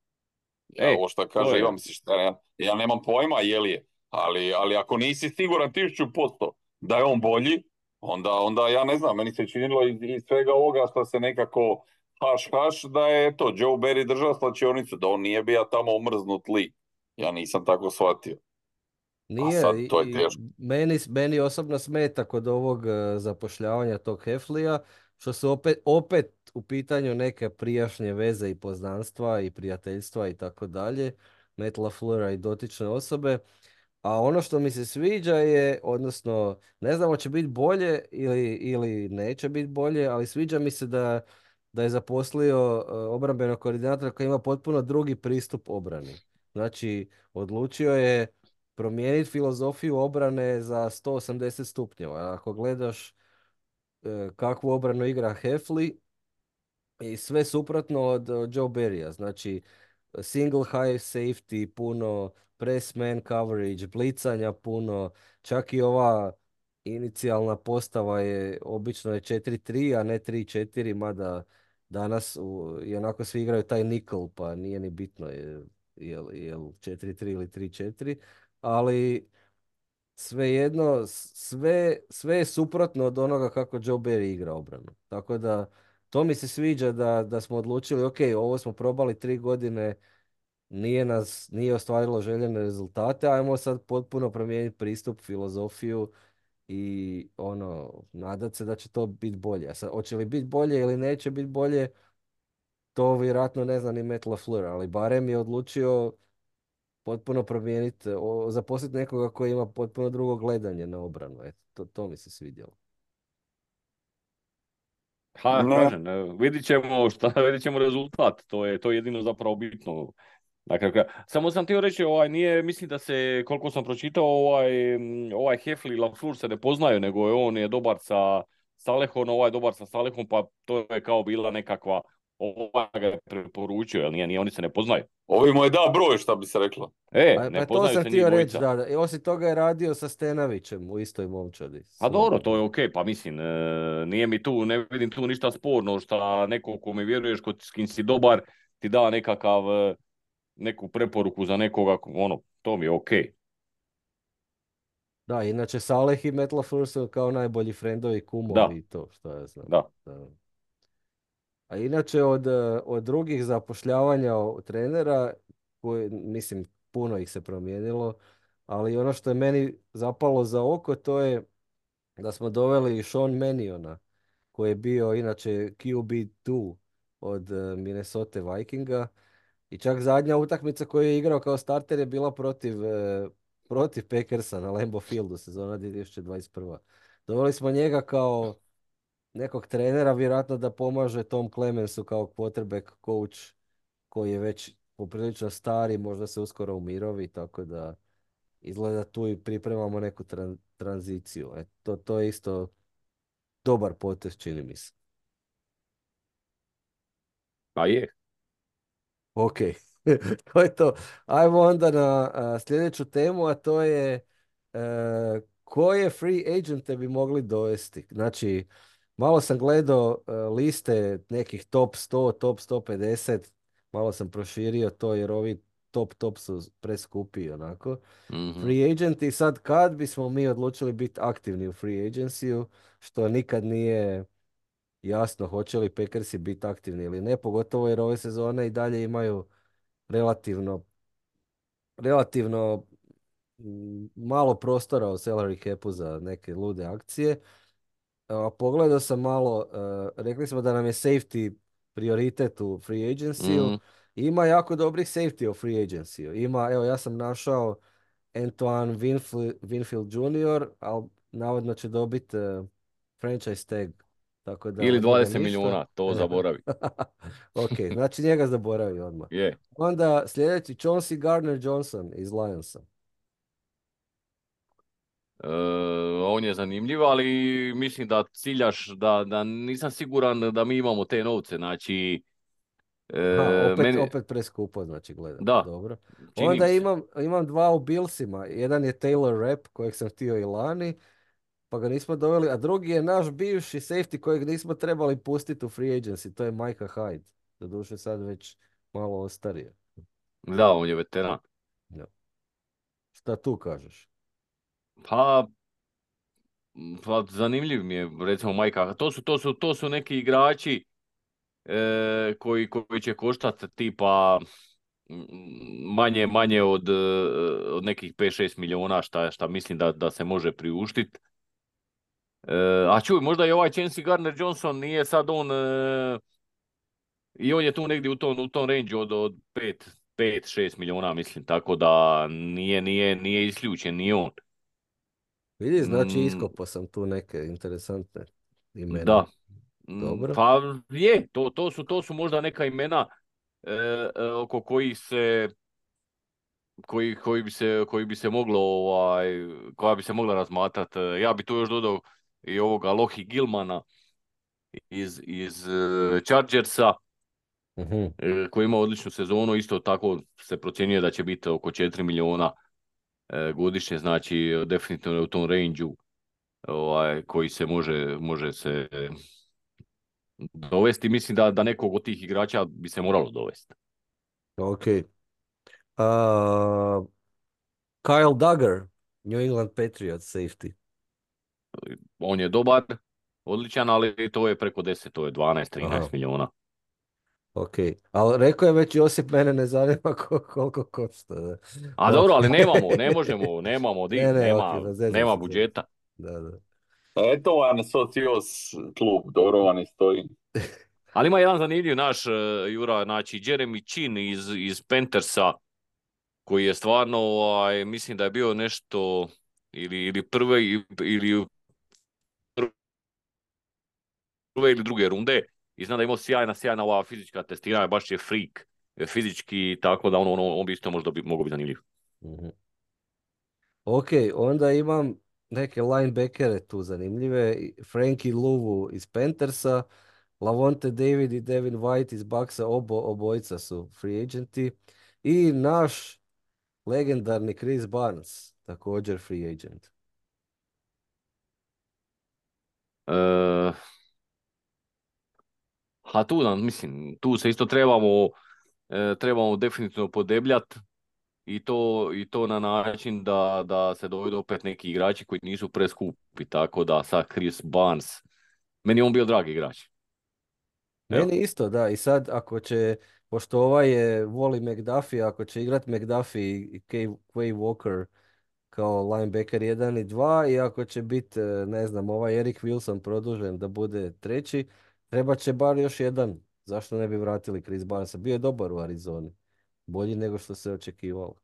Ja, E, ovo što to kaže je, Ivan, misliš šta, ja, ja nemam pojma je li je, ali, ali ako nisi siguran tisuću posto da je on bolji, onda, onda ja ne znam, meni se činilo iz, iz svega ovoga što se nekako haš haš da je to Joe Barry držao slačionicu, da on nije bio tamo omrznut lik. Ja nisam tako shvatio. A Nije, sad i, to je i teško. meni, meni osobno smeta kod ovog e, zapošljavanja tog Heflija, što su opet, opet u pitanju neke prijašnje veze i poznanstva i prijateljstva i tako dalje, Matt LaFleura i dotične osobe. A ono što mi se sviđa je, odnosno, ne znam hoće biti bolje ili, ili neće biti bolje, ali sviđa mi se da, da je zaposlio e, obrambenog koordinatora koji ima potpuno drugi pristup obrani. Znači, odlučio je promijeniti filozofiju obrane za sto osamdeset stupnjeva. Ako gledaš e, kakvu obranu igra Hefli, i sve suprotno od, od Joe Barrya. Znači, single high safety, puno press man coverage, blicanja puno, čak i ova inicijalna postava je obično je četiri tri, a ne tri četiri, mada danas u, i onako svi igraju taj nickel, pa nije ni bitno je jel, jel četiri tri ili tri četiri, ali svejedno, s- sve, sve je suprotno od onoga kako Joe Barry igra obranu. Tako da, to mi se sviđa da, da smo odlučili, ok, ovo smo probali tri godine, nije nas, nije ostvarilo željene rezultate, ajmo sad potpuno promijeniti pristup, filozofiju i ono, nadat se da će to biti bolje. A sad, hoće li biti bolje ili neće biti bolje, to vjerojatno ne zna ni Matt LaFleur, ali barem je odlučio potpuno promijeniti, o- zaposliti nekoga koji ima potpuno drugo gledanje na obranu. Eto, to, to mi se svidjelo. Ha, Ne, kažem, e, vidit ćemo šta, vidit ćemo rezultat, to je to je jedino zapravo bitno. Na kraju kraja. Samo sam htio reći, ovaj, nije, mislim da se, koliko sam pročitao, ovaj, mm, ovaj Hefli i Lafleur se ne poznaju, nego je on je dobar sa Salehom, ovaj je dobar sa Salehom, pa to je kao bila nekakva, ovaj ga je preporučio, jel nije, nije, oni se ne poznaju. ovi mu je da broj, šta bi se reklo. E, Pa, ne pa to poznaju sam se njih htio reći, dvojica. da, da. I osim toga je radio sa Stenavićem u istoj momčadi. A dobro, svojedobno. to je okej, pa mislim, e, nije mi tu, ne vidim tu ništa sporno šta neko ko mi vjeruješ, ko, s kim si dobar, ti da nekakav, e, neku preporuku za nekoga, ono, to mi je okej. Da, inače Saleh i Matt LaFleur su kao najbolji frendovi, kumovi Da, i to, što ja znam. da. Da. A inače od, eh, od drugih zapošljavanja o- trenera, koji, mislim, puno ih se promijenilo, ali ono što je meni zapalo za oko, to je da smo doveli Sean Maniona, koji je bio inače Q B dva od eh, Minnesota Vikinga. I čak zadnja utakmica koju je igrao kao starter je bila protiv, eh, protiv Packersa na Lambeau Fieldu, sezona dvije tisuće dvadeset prva. Doveli smo njega kao nekog trenera, vjerojatno da pomaže Tom Clemensu kao quarterback coach koji je već poprilično stari, možda se uskoro umirovi, tako da izgleda tu i pripremamo neku tran- tranziciju. E, to, to je isto dobar potez, čini mi se. Pa je. Ok, to je to. Ajmo onda na a, sljedeću temu, a to je e, koje free agente bi mogli dovesti. Znači, malo sam gledao e, liste nekih top sto, top sto pedeset, malo sam proširio to jer ovi top top su preskupi onako. Mhm. Free agenti, sad kad bismo mi odlučili biti aktivni u free agency što nikad nije jasno hoće li Packersi biti aktivni ili ne, pogotovo jer ove sezone i dalje imaju relativno, relativno mm, malo prostora u salary capu za neke lude akcije. A, pogledao sam malo, e, rekli smo da nam je safety prioritet u free agency-u. Mhm. Ima jako dobrih safety u free agency-u. Ima, evo ja sam našao Antoine Winfield, Winfield junior, ali navodno će dobiti e, franchise tag, tako da Ili od njega dvadeset ništa. milijuna, to zaboravi. Ok, znači njega zaboravi odmah. Je. Onda sljedeći Chauncey Gardner-Johnson iz Lionsa. E, on je zanimljiv, ali mislim da ciljaš, da, da nisam siguran da mi imamo te novce, znači, Aha, e, opet, meni, opet preskupo, znači gledam. da, Dobro. čini Onda mi se. imam, imam dva u Billsima. Jedan je Taylor Rapp, kojeg sam htio i lani, pa ga nismo doveli. A drugi je naš bivši safety kojeg nismo trebali pustiti u free agency. To je Micah Hyde. Doduše sad već malo ostario. Da, on je veteran. Ja. Šta tu kažeš? Pa, pa zanimljiv mi je, recimo, Majka. To su, to su, to su neki igrači e, koji, koji će koštati tipa mm, manje, manje od, e, od nekih pet šest milijuna, šta, šta mislim da, da se može priuštiti. E, a čuj, možda i ovaj Chauncey Gardner-Johnson nije sad on, e, i on je tu negdje u tom, u tom range od, od pet šest milijuna, mislim, tako da nije, nije, nije isključen ni on. Vidi, znači Mm, iskopao sam tu neke interesantne imena. da. Mm, Dobro. pa je, to, to su, to su možda neka imena e, e, oko kojih se koji, koji bi se, koji bi se moglo ovaj, koja bi se mogla razmatrati. Ja bi tu još dodao i ovoga Lohi Gilmana iz, iz e, Chargersa, Mhm. e, koji ima odličnu sezonu, isto tako se procjenjuje da će biti oko četiri milijuna e, godišnje, znači definitivno je u tom range-u ovaj, koji se može, može se dovesti. Mislim da, da nekog od tih igrača bi se moralo dovesti. Ok. A, Kyle Duggar New England Patriots safety. On je dobar, odličan, ali to je preko deset, to je dvanaest Aha, trinaest milijuna. ok. Ali rekao je već Josip, mene ne zanima ko- koliko košta. Da. A Ok. dobro, ali nemamo, ne možemo, nemamo di, Ne, ne, ok, nema, razezam nema se. zezam budžeta. se. Da, da. Eto vam socios klub, dobro vam i stoji. Ali ima jedan zanimljiv naš, uh, Jura, znači Jeremy Chin iz, iz Panthersa, koji je stvarno, ovaj, mislim da je bio nešto, ili, ili prve, ili prve ili druge runde, i znam da je imao sjajna, sjajna ova fizička testiranja, baš je freak fizički, tako da on, on, on bi isto možda bi, mogao biti zanimljiv. Mhm. Ok, onda imam neke linebackere tu zanimljive. Frankie Luvu iz Panthersa, Lavonte David i Devin White iz Bucksa, obo, obojica su free agenti. I naš legendarni Chris Barnes, također free agent. E, a tu nam, mislim, tu se isto trebamo, e, trebamo definitivno podebljati i to, i to na način da, da se dovedu opet neki igrači koji nisu preskupi, tako da sad Chris Barnes, meni je on bio dragi igrač. Evo. Meni isto, da. I sad ako će, pošto ovaj je, voli McDuffie, ako će igrat McDuffie i Kay- Quay Walker kao linebacker jedan i dva i ako će biti, ne znam, ovaj Eric Wilson produžen da bude treći, treba će bar još jedan. Zašto ne bi vratili Chris Barnesa? Bio je dobar u Arizoni. Bolji nego što se očekivalo.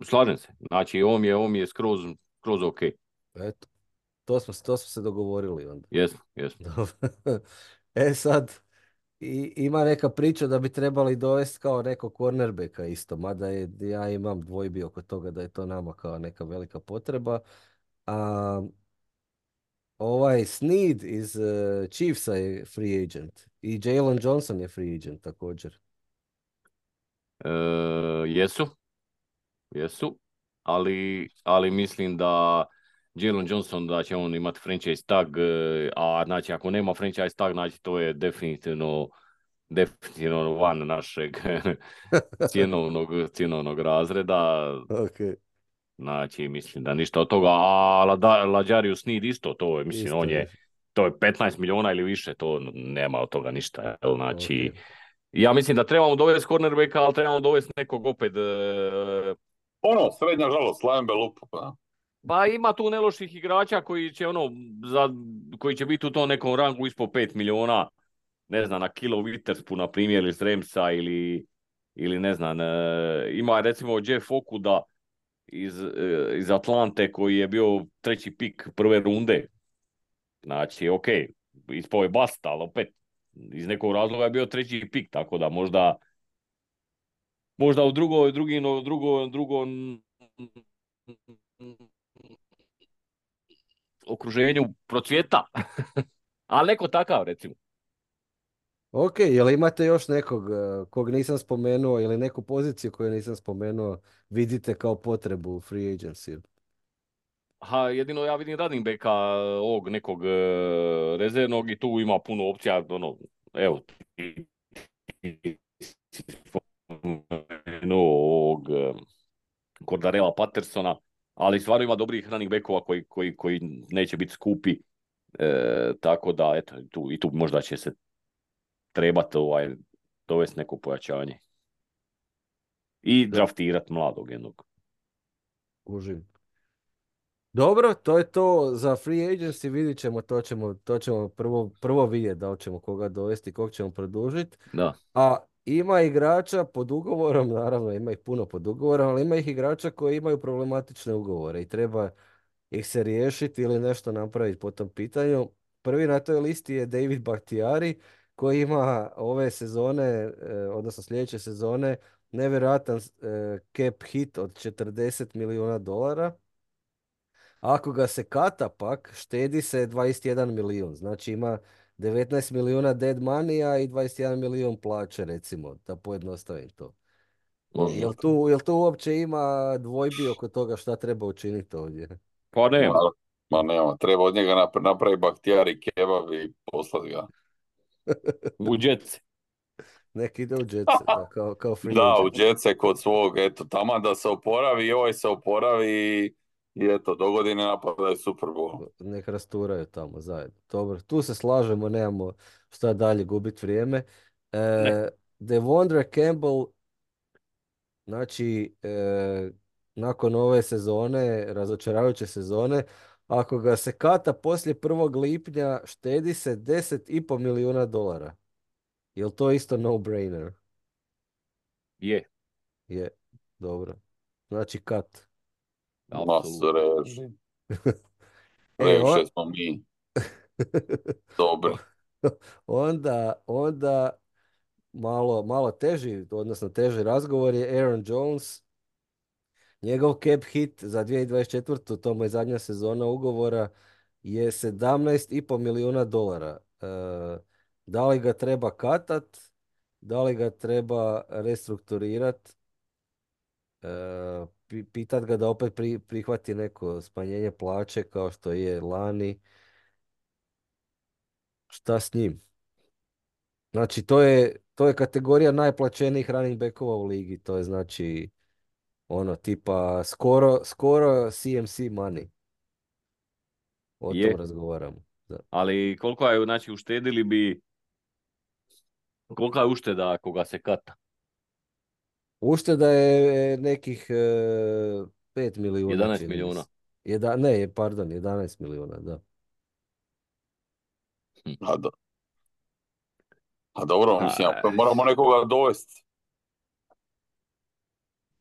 Slažem se, znači on je, on je skroz, skroz ok. Eto, to smo, to smo se dogovorili onda. Jesmo, jesmo. Dobro. E sad, i, ima neka priča da bi trebali dovesti kao nekog cornerbacka isto, mada je, ja imam dvojbi oko toga da je to nama kao neka velika potreba. A, ovaj Snead iz uh, Chiefsa je free agent i Jalen Johnson je free agent također. E, jesu, jesu, ali, ali mislim da Jalen Johnson da će on imati franchise tag, e, a znači ako nema franchise tag, znači to je definitivno definitivno van našeg cjenovnog, cjenovnog razreda. Ok, Znači, mislim da ništa od toga, a Lada- Lađarius Sneed isto, to je, mislim, isto on je. je, to je petnaest milijuna ili više, to nema od toga ništa, jel? Znači, Ok. ja mislim da trebamo dovesti cornerbacka, ali trebamo dovesti nekog opet, e, Ono, srednja žalost, Lambe lupu, pa. pa ima tu neloših igrača koji će ono, za, koji će biti u tom nekom rangu ispod pet milijuna, ne znam, na Kilo Witterspu, na primjer, iz Remsa ili, ili ne znam, e, ima recimo Jeff Okuda iz, e, iz Atlante koji je bio treći pik prve runde. Znači, ok, ispao je bast, ali opet iz nekog razloga je bio treći pik, tako da možda možda u drugo, drugi, no, drugo, drugo okruženju procvjeta. Ali neko takav, recimo. Ok, jel imate još nekog uh, kog nisam spomenuo ili neku poziciju koju nisam spomenuo vidite kao potrebu u free agency? Ha, jedino ja vidim running backa ovog nekog e, rezervnog i tu ima puno opcija, ono, evo, ti- ti- ti spomenuo ovog e, Cordarella Pattersona, ali stvarno ima dobrih running backova koji, koji, koji neće biti skupi, e, tako da, eto, tu, i tu možda će se trebati ovaj, dovesti neko pojačanje. I Da, draftirati mladog jednog. kužim. Dobro, to je to za free agency, vidit ćemo, to ćemo, to ćemo prvo, prvo vidjeti da li ćemo koga dovesti, kog ćemo produžiti. Da. A ima igrača pod ugovorom, naravno ima ih puno pod ugovorom, ali ima ih igrača koji imaju problematične ugovore i treba ih se riješiti ili nešto napraviti po tom pitanju. Prvi na toj listi je David Bakhtiari koji ima ove sezone, eh, odnosno sljedeće sezone, nevjerojatan eh, cap hit od četrdeset milijuna dolara. Ako ga se kata pak, štedi se dvadeset jedan milijun. Znači ima devetnaest milijuna dead money i dvadeset jedan milijun plaće, recimo, da pojednostavim to. Može. Jel tu, jel tu uopće ima dvojbi oko toga šta treba učiniti ovdje? Pa Ma, nema. ma nema, treba od njega napra- napraviti baktijari kebab i poslati ga. U džetce. Nek ide u Jetsa, da, kao, kao free Da, u agent. Jetse kod svog, eto, taman da se oporavi i ovaj se oporavi i, i eto, do godine napadaju Super Bowl. Nek rasturaju tamo zajedno. Dobro, tu se slažemo, nemamo šta dalje gubiti vrijeme. Ne, E, Devondre Campbell, znači, e, nakon ove sezone, razočaravajuće sezone, ako ga se kata poslije prvog lipnja, štedi se deset i pol milijuna dolara. Jel to isto no-brainer? je, Je, dobro. Znači kat. Masu apsolutno. reži. E, on, Previše smo mi dobri. onda, onda malo, malo teži, odnosno teži razgovor je Aaron Jones. Njegov cap hit za dvije tisuće dvadeset četvrtu. to mu je zadnja sezona ugovora, je sedamnaest i pol milijuna dolara. E, da li ga treba katat? Da li ga treba restrukturirat? E, pi- pitat ga da opet pri- prihvati neko smanjenje plaće kao što je lani. Šta s njim? Znači, to je, to je kategorija najplaćenijih running backova u ligi. To je znači ono tipa skoro, skoro C M C money. O tom Je, razgovaramo. Da. ali koliko je, znači, uštedili bi, kolika je ušteda ako ga se kata? Ušteda je nekih e, pet milijuna, jedanaest čini mi milijuna. se. Jedna, ne, pardon, jedanaest milijuna, da. Hm. A, do, a dobro, mislim, A, ako moramo nekoga dovesti.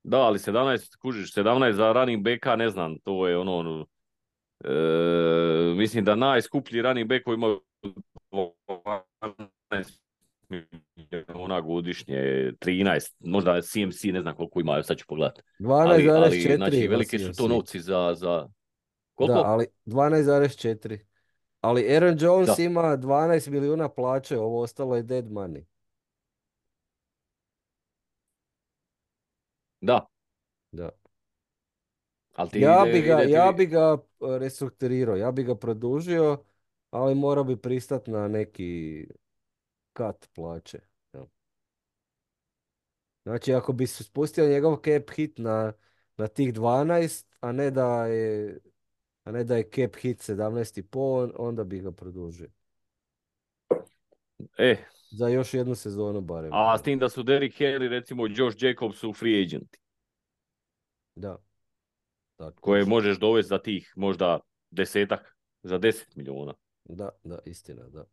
da, ali sedamnaest, kužiš, sedamnaest za running backa, ne znam, to je ono, ono, e, mislim da najskuplji running back koji ima dvanaest milijuna godišnje, trinaest, možda C M C, ne znam koliko ima, sad ću pogledati. Ali, ali, dvanaest zarez četiri znači, ima velike su to C M C. novci za, za, Da, koliko? ali dvanaest zarez četiri. Ali Aaron Jones Da, ima dvanaest milijuna plaće, ovo ostalo je dead money. da, Da. ali ti Ja bi ide, ga, ide ja ti, bi ga e, restrukturirao, ja bi ga produžio, ali morao bi pristati na neki kat plaće. Jel? Znači, ako bi se spustio njegov cap hit na, na tih dvanaest, a ne da je, a ne da je cap hit sedamnaest i pol, onda bi ga produžio. e, Za još jednu sezonu barem. a s Jel? tim da su Derrick Henry, recimo Josh Jacobs su free agenti, Da, tako koje isto. možeš dovesti za tih možda desetak, za deset milijuna. Da, da, istina, da.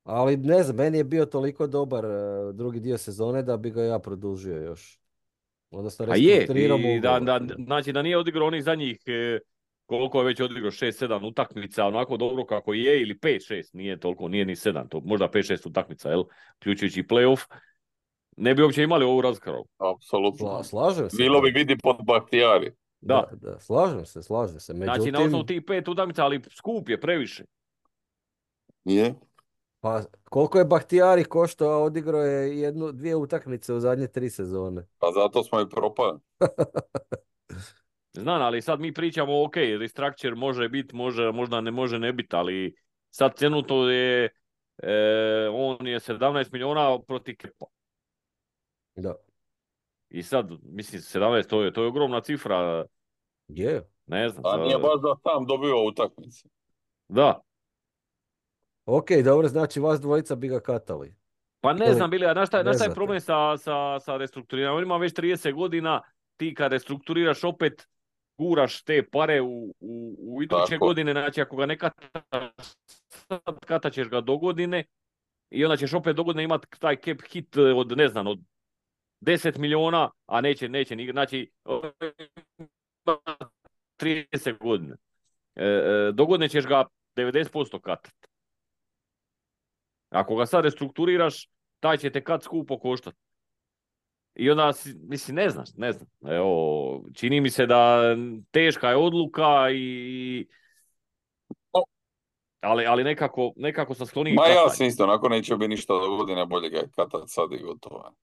Ali ne znam, meni je bio toliko dobar e, drugi dio sezone da bi ga ja produžio još. Odnosno, A je, restrukturirao mu i da, ugovor. da, Da. znači da nije odigrao onih zadnjih, e, koliko je već odigrao, šest sedam utakmica, onako dobro kako je, ili pet šest, nije toliko, nije ni sedam, to možda pet šest utakmica, jel, uključujući i playoff, ne bi uopće imali ovu raspravu. Sla- Apsolutno. slažem se, Bilo da. bi vidi pod Bahtijari. Da, Da, da, slažem se, slažem se. znači na osnovu Međutim, tih pet utakmica, ali skup je previše. Je. pa koliko je Bahtijari koštao, a odigrao je jednu, dvije utakmice u zadnje tri sezone. Pa zato smo i propali. Znam, ali sad mi pričamo, ok, restructure može biti, može, možda ne može ne biti, ali sad cenuto je, e, on je sedamnaest milijuna protiv Kepa. Da. I sad, mislim, sedamnaest, to je, to je ogromna cifra, Je. ne znam, A nije za, baš da sam dobio utakmice. da. Ok, dobro, znači vas dvojica bi ga katali. Pa ne Ili znam, Bilija, znaš šta, ne znaš šta je znate. problem sa, sa, sa restrukturiranjem? On ima već trideset godina, ti kad restrukturiraš opet, guraš te pare u, u, u iduće Tako. godine, znači ako ga ne kataš sad, katat ćeš ga do godine i onda ćeš opet do godine imati taj cap hit od, ne znam, od deset milijuna, a neće, neće, ni- znači trideset godina. E, e, do godine ćeš ga devedeset posto katat. Ako ga sad restrukturiraš, taj će te kad skupo koštati. I onda, si- mislim, ne znaš, ne znam. Evo, čini mi se da teška je odluka i... Ali, ali nekako, nekako sam skloniji Ma ja katanju. sam isto, onako neće biti ništa do godine, bolje ga je katat sad i gotovo.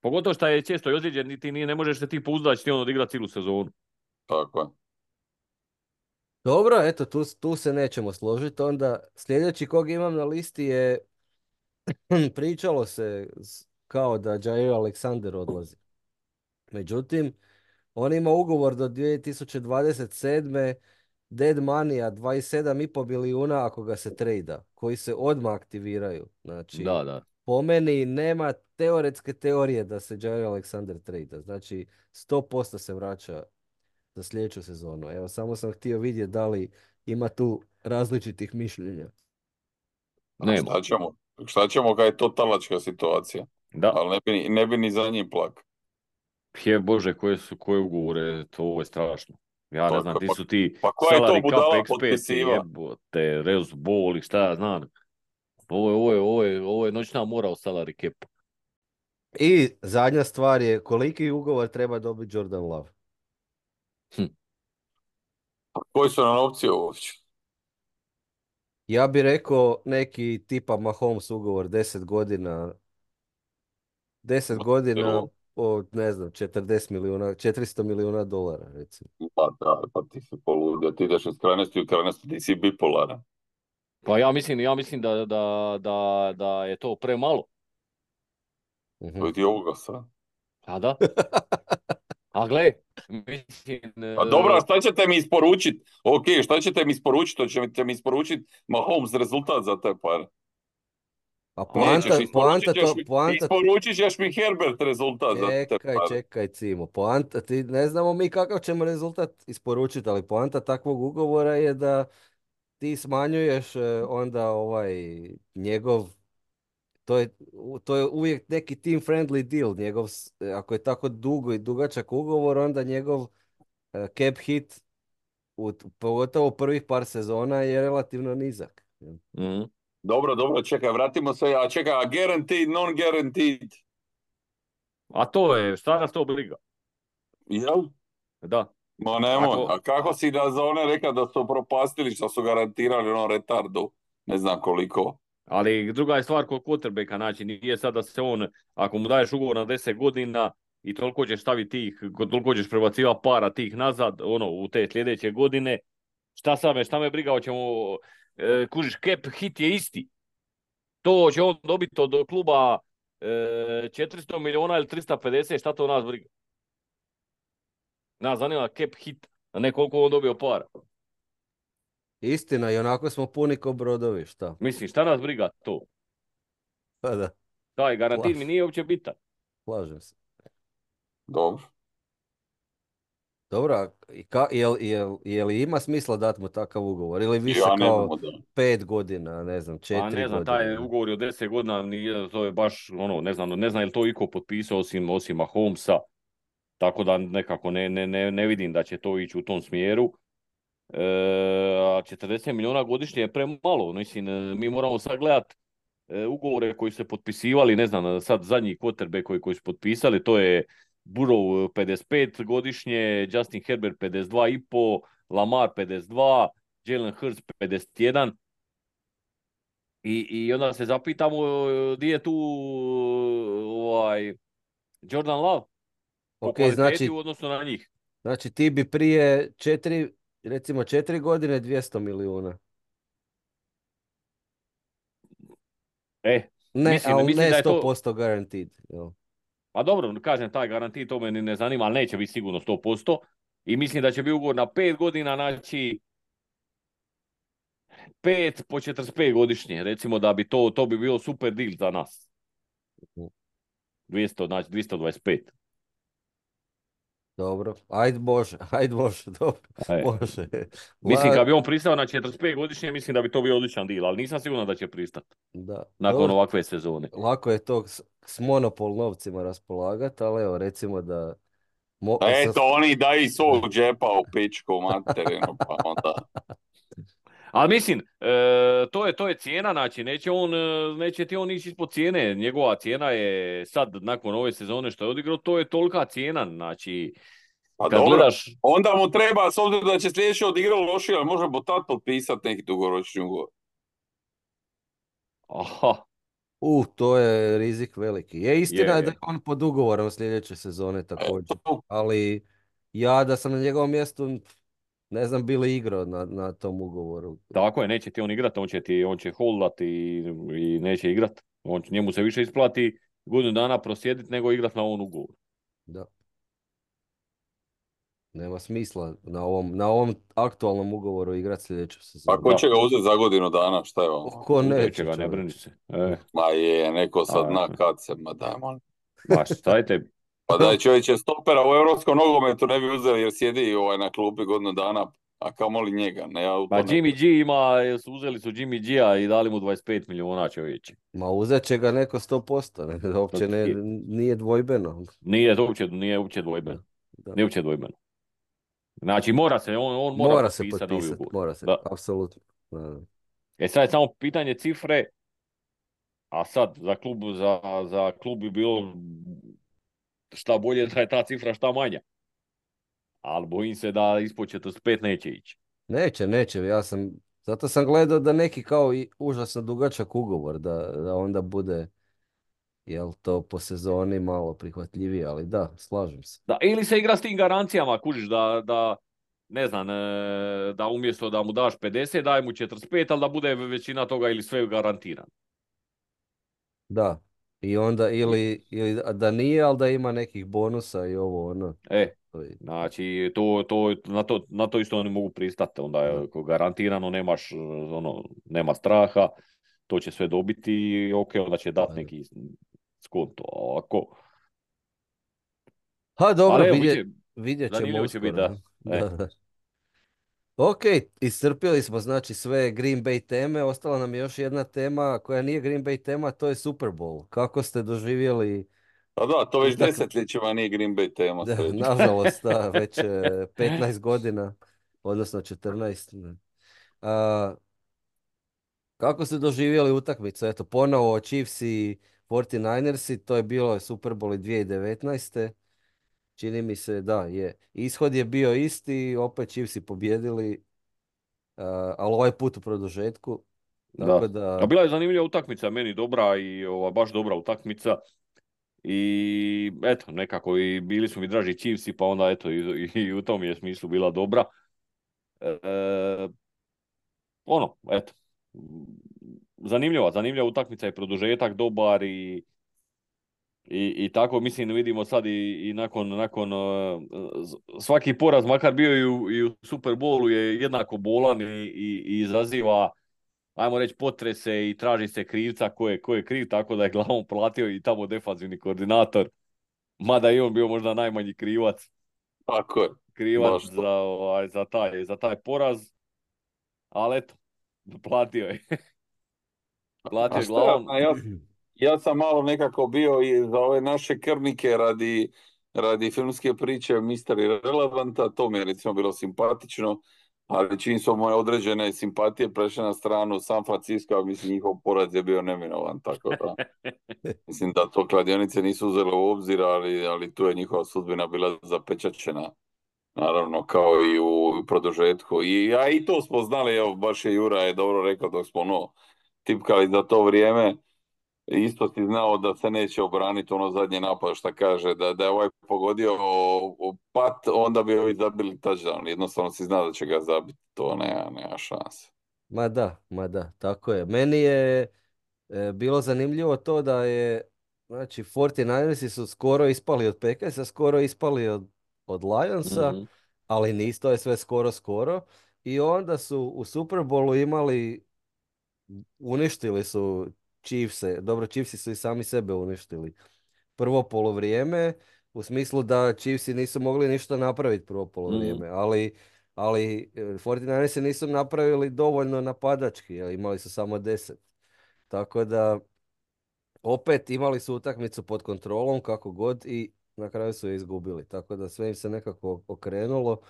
Pogotovo što je često i ozlijeđen, niti nije, ne možeš se ti pouzdati, će ti on odigrati cijelu sezonu. Tako je. Dobro, eto, tu, tu se nećemo složiti. Onda sljedeći kog imam na listi je Pričalo se s- kao da Jair Alexander odlazi. Međutim, on ima ugovor do dvije tisuće dvadeset sedme. Dead money dvadeset sedam i pol milijuna ako ga se trejda, koji se odmah aktiviraju. Znači, Da, da. po meni nema teoretske teorije da se Jair Alexander trejda. Znači, sto posto se vraća za sljedeću sezonu. Evo, samo sam htio vidjeti da li ima tu različitih mišljenja. A Nema. šta ćemo? Šta ćemo kad je to talačka situacija? Da. Ali ne bi, ni- ne bi ni za njim plak. Je Bože, koje su koje ugovore, to ovo je strašno. Ja ne Pa, znam, ko- ti pa, su ti pa koja je to salary cap budala eksperti, potpisiva? jebote, Reus Ball i šta ja znam. Ovo je, ovo je, ovo je, ovo je noćna mora u salary cap. I zadnja stvar je koliki ugovor treba dobiti Jordan Love. Hm. Pa koji su nam opcije uopće? Ja bih rekao neki tipa Mahomes ugovor deset godina, deset godina od ne znam četrdeset milijuna, četiristo milijuna dolara recimo. Pa da, pa ti si poludio, ti ideš iz krajnosti u krajnosti, ti si bipolaran. Pa ja mislim, ja mislim da, da, da, da je to premalo. Mhm. To ti ovoga sad. A da? A gle, mislim, Pa dobro, a e, šta ćete mi isporučiti? Ok, šta ćete mi isporučiti? Hoćete mi isporučiti Mahomes rezultat za te pare? A Nećeš, poanta, isporučit poanta, ćeš to, mi, poanta, isporučit ćeš mi Herbert rezultat za te čekaj, pare. čekaj Cimo, poanta, ti ne znamo mi kakav ćemo rezultat isporučiti, ali poanta takvog ugovora je da ti smanjuješ e, onda ovaj njegov, to je, to je uvijek neki team friendly deal, njegov, s- ako je tako dugo i dugačak ugovor, onda njegov e, cap hit u, pogotovo prvih par sezona je relativno nizak. mhm. Dobro, dobro, čekaj, vratimo se, a čekaj, a guaranteed, non-guaranteed, A to je, šta nas to briga? jel? Da. Ma nemoj, Ako, a kako a, si da za one rekao da su propastili što su garantirali ono retardu, ne znam koliko. ali druga je stvar kod quarterbacka, znači nije sad da se on, ako mu daješ ugovor na deset godina i toliko ćeš staviti tih, toliko ćeš prebacivati para tih nazad, ono, u te sljedeće godine, šta sad me, šta me briga, hoćemo, e, kužiš, cap hit je isti. To će on dobiti od kluba e, četiristo milijuna ili tristo pedeset, šta to nas briga? Nas zanima cap hit, a ne koliko on dobio para. Istina, i onako smo puni ko brodovi, šta? Mislim, šta nas briga to? Pa da, Taj garantin mi slaž, nije uopće bitan. slažem se. Dobro. Dobro, a i ka, jel, jel, jel ima smisla dati mu takav ugovor? Ili više Ja ne kao znam da. pet godina, ne znam, Pa četiri ne znam, taj godine? ugovor je od deset godina, nije, to je baš, ono, ne znam, ne znam je li to iko potpisao osim, osim Mahomesa, tako da nekako ne, ne, ne, ne vidim da će to ići u tom smjeru. E, a četrdeset milijuna godišnje je premalo, mislim, e, mi moramo sad gledat e, ugovore koji su se potpisivali, ne znam, sad zadnji quarterback koji, koji su potpisali, to je Burrow pedeset pet godišnje, Justin Herbert pedeset dva i pol, Lamar pedeset dva, Jalen Hurts pedeset jedan. I, I onda se zapitamo e, di je tu ovaj, Jordan Love po Ok, kvaliteti u znači, odnosu na njih. znači ti bi prije četiri, recimo četiri godine dvjesto milijuna. E, Ne, mislim, ali mislim ne da je to, sto posto guaranteed. Jel? pa dobro, kažem, taj garanti to me ni ne zanima, ali neće biti sigurno sto posto. I mislim da će biti ugovor na pet godina, znači pet po četrdeset pet godišnje. Recimo da bi to, to bi bilo super deal za nas. dvjesto, znači dvjesto dvadeset pet. Dobro, ajde Bože, ajde Bože, dobro, E. može. Mislim, La, kad bi on pristao na četrdeset pet godišnje, mislim da bi to bio odličan deal, ali nisam siguran da će pristati da, nakon dobro, ovakve sezone. lako je to s, s monopol novcima raspolagati, ali evo, recimo da mo, sa, Eto, oni daju iz svog džepa u pičku materinu, pa onda. Ali mislim, e, to je to je cijena, znači neće on, e, neće ti on ići ispod cijene. Njegova cijena je sad, nakon ove sezone što je odigrao, to je tolika cijena, znači Pa kad dobro, gledaš, onda mu treba, s obzirom da će sljedeće odigrati lošije, ali može bo tad potpisati neki dugoročni ugovor. aha, u, to je rizik veliki. Je istina je, je da je je. on pod ugovorom sljedeće sezone također, Eto, ali ja da sam na njegovom mjestu, ne znam, bili igrao na, na tom ugovoru. Tako je, neće ti on igrati, on će ti, on će holdati i, i neće igrati. On, njemu se više isplati godinu dana prosjediti nego igrati na ovom ugovoru. Da. Nema smisla na ovom, na ovom aktualnom ugovoru igrati sljedeću Pa sezonu. ko Da, će ga uzeti za godinu dana, šta je vam? Ko uzet će neće, ga, ne brini čovječe. se. E, Ma je, neko sad a, zna kad se, ma daj, molim. ma šta je tebi? Pa daj, čovječe, stopera u europskom nogometu ne bi uzeli jer sjedi ovaj na klupi godinu dana, a kamoli njega, ne, ja u Pa to ne... Jimmy G ima, su uzeli su Jimmy G-a i dali mu dvadeset pet milijuna, čovječe. Ma uzet će ga neko sto posto, ne, uopće ne, Je. nije dvojbeno. Nije to uopće, nije uopće Da, dvojbeno. da. Nije uopće dvojbeno. Znači mora se, on, on mora, Mora se potpisati novi potpisati, ugovor. mora se, Da. apsolutno. Da, da. E sad je samo pitanje cifre, a sad za klub, za, za klub bi bilo šta bolje da je ta cifra šta manja. Ali bojim se da ispod četrdeset pet neće ići. Neće, neće, ja sam, zato sam gledao da neki kao i užasno dugačak ugovor, da, da onda bude, jel to po sezoni malo prihvatljivije, ali da, slažem se. Da, ili se igra s tim garancijama, kužiš da, da ne znam, e, da umjesto da mu daš pedeset, daj mu četrdeset pet, ali da bude većina toga ili sve garantirano. Da, i onda ili, ili da nije, ali da ima nekih bonusa i ovo ono. E, To je- znači, to, to, na, to, na to isto oni mogu pristati. Onda Da. je ako garantirano, nemaš, ono, nema straha, to će sve dobiti i ok, onda će dati Da. neki skonto. A Ovako. Ha, dobro, Ali evo, vidjet, bit će- vidjet ćemo zanimljivo će uskoro. biti, da. ne? E. Da, da. Ok, iscrpili smo znači sve Green Bay teme, ostala nam je još jedna tema koja nije Green Bay tema, to je Super Bowl. Kako ste doživjeli Pa da, to već utakmi- desetljećima nije Green Bay tema, Da, sreću. nažalost, da, već e, petnaest godina, odnosno četrnaest. ne. A, kako ste doživjeli utakmicu? Eto, ponovo Chiefs i četrnaesтерci, to je bilo Super Bowl i dvije tisuće devetnaeste. Čini mi se, da, je. Ishod je bio isti, opet Chiefsi pobjedili, a, ali ovaj put u produžetku. Tako Da. da, A bila je zanimljiva utakmica, meni dobra i ova, baš dobra utakmica. I eto, nekako i bili su mi draži Chiefsi, pa onda eto i, i u tom je smislu bila dobra. E, ono, eto, zanimljiva, zanimljiva utakmica i produžetak dobar i, i, i tako mislim vidimo sad i, i nakon, nakon uh, svaki poraz, makar bio i u, i u Super Bowlu je jednako bolan i, i, i izaziva ajmo reći potrese i traži se krivca ko je, ko je kriv, tako da je glavom platio i tamo defanzivni koordinator, mada i on bio možda najmanji krivac, Tako je, krivac baš to. za, ovaj, za, taj, za taj poraz, ali eto, platio je. Platio A je šta ja glavom. znam, ja, ja sam malo nekako bio i za ove naše krvnike radi, radi filmske priče mister Irrelevanta, to mi je recimo bilo simpatično, ali čim su moje određene simpatije prešle na stranu San Francisco, mislim njihov poraz je bio neminovan, tako da mislim da to kladionice nisu uzele u obzir, ali, ali tu je njihova sudbina bila zapečaćena. Naravno, kao i u produžetku. I, a i to smo znali, evo, baš je Jura je dobro rekao dok smo ono, tipkali za to vrijeme. Isto si znao da se neće obraniti ono zadnje napad što kaže, da, da je ovaj pogodio o, o pat, onda bi ovi zabili touchdown. Jednostavno si znao da će ga zabiti, to nema, nema šanse. ma da, ma da, tako je. Meni je e, bilo zanimljivo to da je, znači, četrnaesтерci su skoro ispali od Packersa, skoro ispali od, od Lionsa, Mhm. ali nisu, to je sve skoro, skoro. I onda su u Super Bowlu imali, uništili su Chiefse, dobro, Chiefsi su i sami sebe uništili. Prvo polovrijeme, u smislu da Chiefsi nisu mogli ništa napraviti prvo Mhm. polovrijeme, ali, ali e, četrnaesтерci nisu napravili dovoljno napadački, jer imali su samo deset. Tako da, opet imali su utakmicu pod kontrolom kako god i na kraju su je izgubili. Tako da sve im se nekako okrenulo.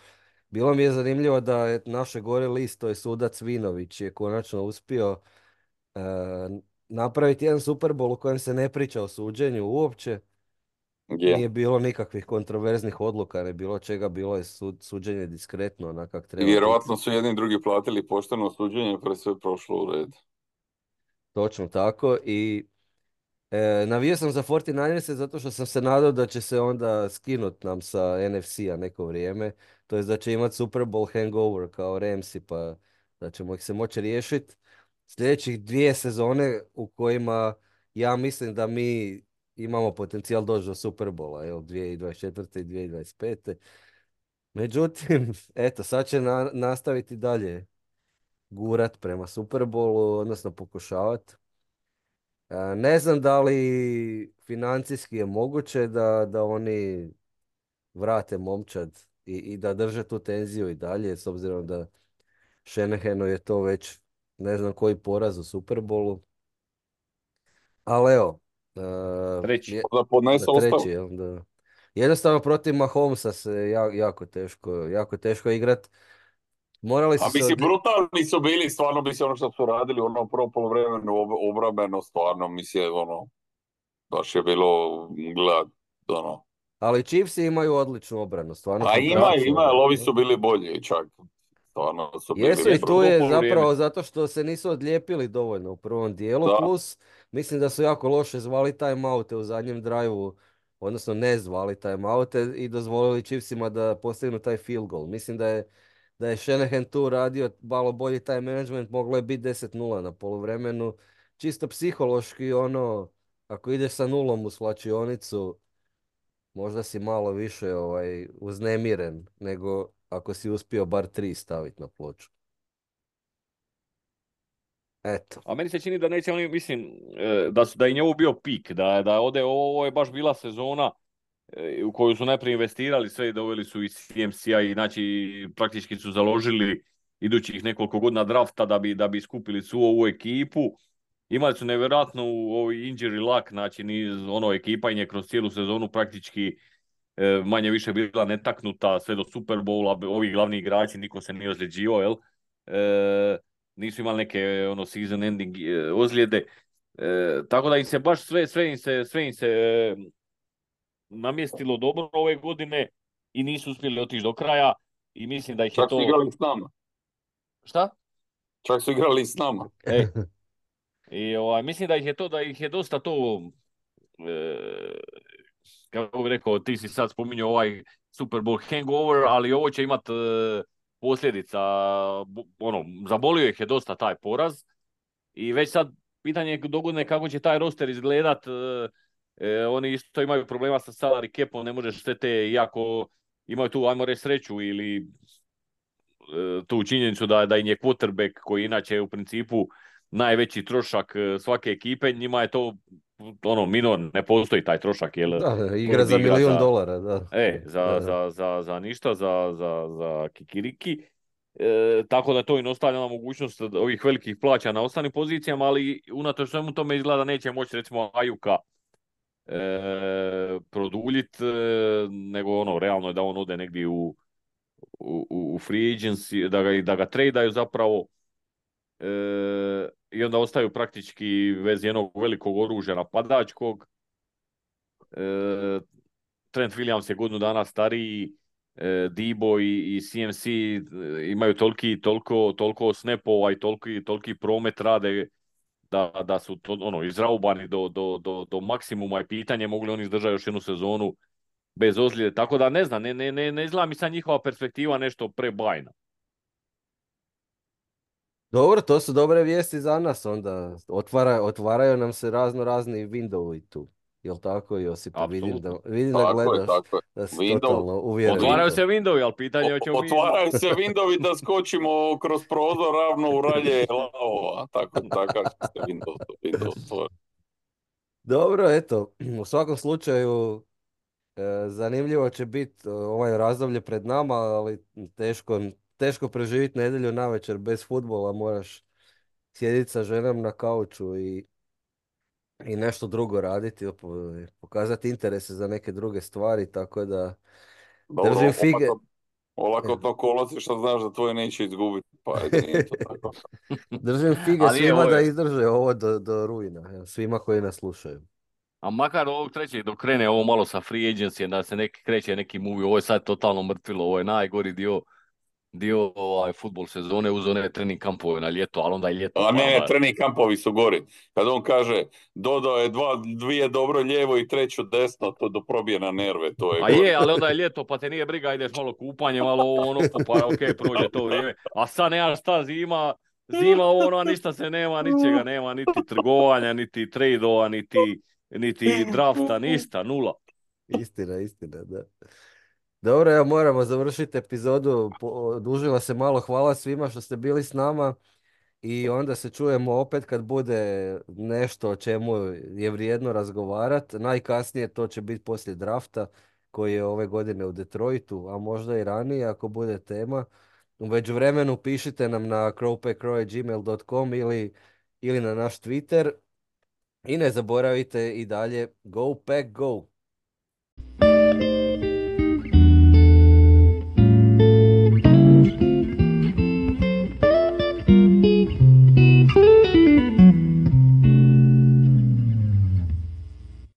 Bilo mi je zanimljivo da je naše gore list, to je sudac Vinović, je konačno uspio e, napraviti jedan Super Bowl u kojem se ne priča o suđenju uopće. Je. Nije bilo nikakvih kontroverznih odluka, ne bilo čega, bilo je sud, suđenje diskretno, onak kak I treba biti. vjerovatno su jedni i drugi platili pošteno suđenje, pa je sve prošlo u red. Točno tako i E, navio sam za četrnaesтерce zato što sam se nadao da će se onda skinut nam sa N F C-a neko vrijeme, to jest da će imati Super Bowl hangover kao Ramsi, pa da ćemo ih se moći riješiti sljedećih dvije sezone u kojima ja mislim da mi imamo potencijal doći do Superbola, jel, dvije tisuće dvadeset četvrte i dvije tisuće dvadeset pete. Međutim, eto, sad će na- nastaviti dalje gurat prema Superbolu, odnosno pokušavati. E, Ne znam da li financijski je moguće da, da oni vrate momčad i, i da drže tu tenziju i dalje, s obzirom da Shanahanu je to već ne znam koji poraz u Superbolu. Ali evo, e, Treći. je, Da podnese da treći, ostavu. jel, da. Jednostavno protiv Mahomesa se ja- jako teško, jako teško igrat. Morali A su se mislim, od... brutalni su bili, stvarno mislim ono što su radili u onom prvom poluvremenu ob- obrambeno, stvarno mislim, ono, baš je bilo gledat, ono. Ali Chiefsi imaju odličnu obranu, stvarno A ima, fantastičnu ima, ali obranu. ovi Jel? su bili bolji čak, stvarno su bili Jesu i Jesu tu bolji. je drugo poluvrijeme. zapravo zato što se nisu odlijepili dovoljno u prvom dijelu, Da, plus mislim da su jako loše zvali timeoute u zadnjem drive-u, odnosno ne zvali timeoute i dozvolili Chiefsima da postignu taj field goal. Mislim da je, da je Shanahan tu radio malo bolji time management, moglo je biti deset nula na poluvremenu. Čisto psihološki ono, ako ideš sa nulom u svlačionicu, možda si malo više ovaj, uznemiren nego ako si uspio bar tri staviti na ploču. Eto. A meni se čini da neće oni, mislim, e, da, su, da im je ovo bio pik, da, da ode, ovo je baš bila sezona e, u koju su najprije investirali sve i doveli su iz C M C-a i znači praktički su založili idućih nekoliko godina drafta da bi, da bi skupili svu ovu ekipu. Imali su nevjerojatnu ovaj injury luck, znači niz, ono, ekipa im je kroz cijelu sezonu praktički e, manje više bila netaknuta sve do Super Bowla, ovi glavni igrači, niko se nije ozljeđivao, jel? E, nisu imali neke ono season ending e, ozljede. E, tako da im se baš sve, sve im se, sve im se e, namjestilo dobro ove godine i nisu uspjeli otići do kraja i mislim da ih je čak su to... igrali s nama. Šta? Čak su igrali s nama. E, i ovaj, mislim da ih je to, da ih je dosta to e, kako bih rekao, ti si sad spominjao ovaj Super Bowl hangover, ali ovo će imat e, posljedica, bo- ono, zabolio ih je dosta taj poraz i već sad pitanje je dogodine kako će taj roster izgledat, e, e, oni isto imaju problema sa salary capom, ne možeš sve te, iako imaju tu, ajmo reći, sreću ili e, tu činjenicu da, da im je quarterback koji inače u principu najveći trošak e, svake ekipe, njima je to ono, minor, ne postoji taj trošak, jer Da, igra Brody za igra milijun za, dolara, da. e, za, Da. za, za, za ništa, za, za, za kikiriki. E, tako da to im ostavlja na mogućnost ovih velikih plaća na ostalim pozicijama, ali unatoč svemu tome izgleda da neće moći recimo Ajuka e, produljit, e, nego ono, realno je da on ode negdje u, u, u free agency, da ga, da ga tradaju zapravo. E, I onda ostaju praktički bez jednog velikog oružja napadačkog. E, Trent Williams je godinu dana stariji, e, Debo i, i C M C imaju toliki, toliko, toliko snapova i toliki, toliki promet rade da, da su to, ono, izraubani do, do, do, do maksimuma i pitanje mogli oni izdržati još jednu sezonu bez ozljede. Tako da ne znam, ne, ne, ne, ne izgleda mi sad njihova perspektiva nešto prebajna. Dobro, to su dobre vijesti za nas onda. Otvara, otvaraju nam se razno razni windowi tu. Jel tako, Josipe? Vidim da, Apsolutno. vidim da Tako je, gledaš tako je. da si Windows, totalno uvjeren u Otvaraju to. se windowi, ali pitanje je O- hoćemo mi... otvaraju se windowi da skočimo kroz prozor ravno u ralje lavova. Tako, takav će se Windows, Windows stvoriti. Dobro, eto, u svakom slučaju e, zanimljivo će biti ovaj razdoblje pred nama, ali teško, teško preživjeti nedjelju navečer bez fudbala, moraš sjediti sa ženom na kauču i, i nešto drugo raditi, po- pokazati interese za neke druge stvari, tako da Dobro, držim fige. olako, olako to kolaci što znaš da tvoje neće izgubiti, pa ajde, nije to tako. Držim fige Ali je, svima ovo da je, izdrže ovo do, do rujna, evo, svima koji nas slušaju. a makar ovog trećeg dok krene ovo malo sa free agency, da se neki kreće neki movie, ovo je sad totalno mrtvilo, ovo je najgori dio dio ovaj, futbol sezone uz one trening kampove na ljeto, ali onda je ljeto. A Pa ne, onda, trening kampovi su gori. Kad on kaže dodao je dva, dvije dobro lijevo i treću desno, to do probije na nerve, to je a gori. je, ali onda je ljeto, pa te nije briga, ideš malo kupanje, malo ovo, ono, pa ok, prođe to vrijeme. A sad nemaš šta zima, Zima ono, a ništa se nema, ničega nema, niti trgovanja, niti tradova, niti, niti drafta, ništa, nula. Istina, istina, da. Dobro, evo moramo završiti epizodu. Po- Odužila se malo. Hvala svima što ste bili s nama. I onda se čujemo opet kad bude nešto o čemu je vrijedno razgovarati. Najkasnije to će biti poslije drafta koji je ove godine u Detroitu, a možda i ranije ako bude tema. U međuvremenu pišite nam na crowpackcrow at gmail dot com ili, ili na naš Twitter. I ne zaboravite i dalje Go Pack Go!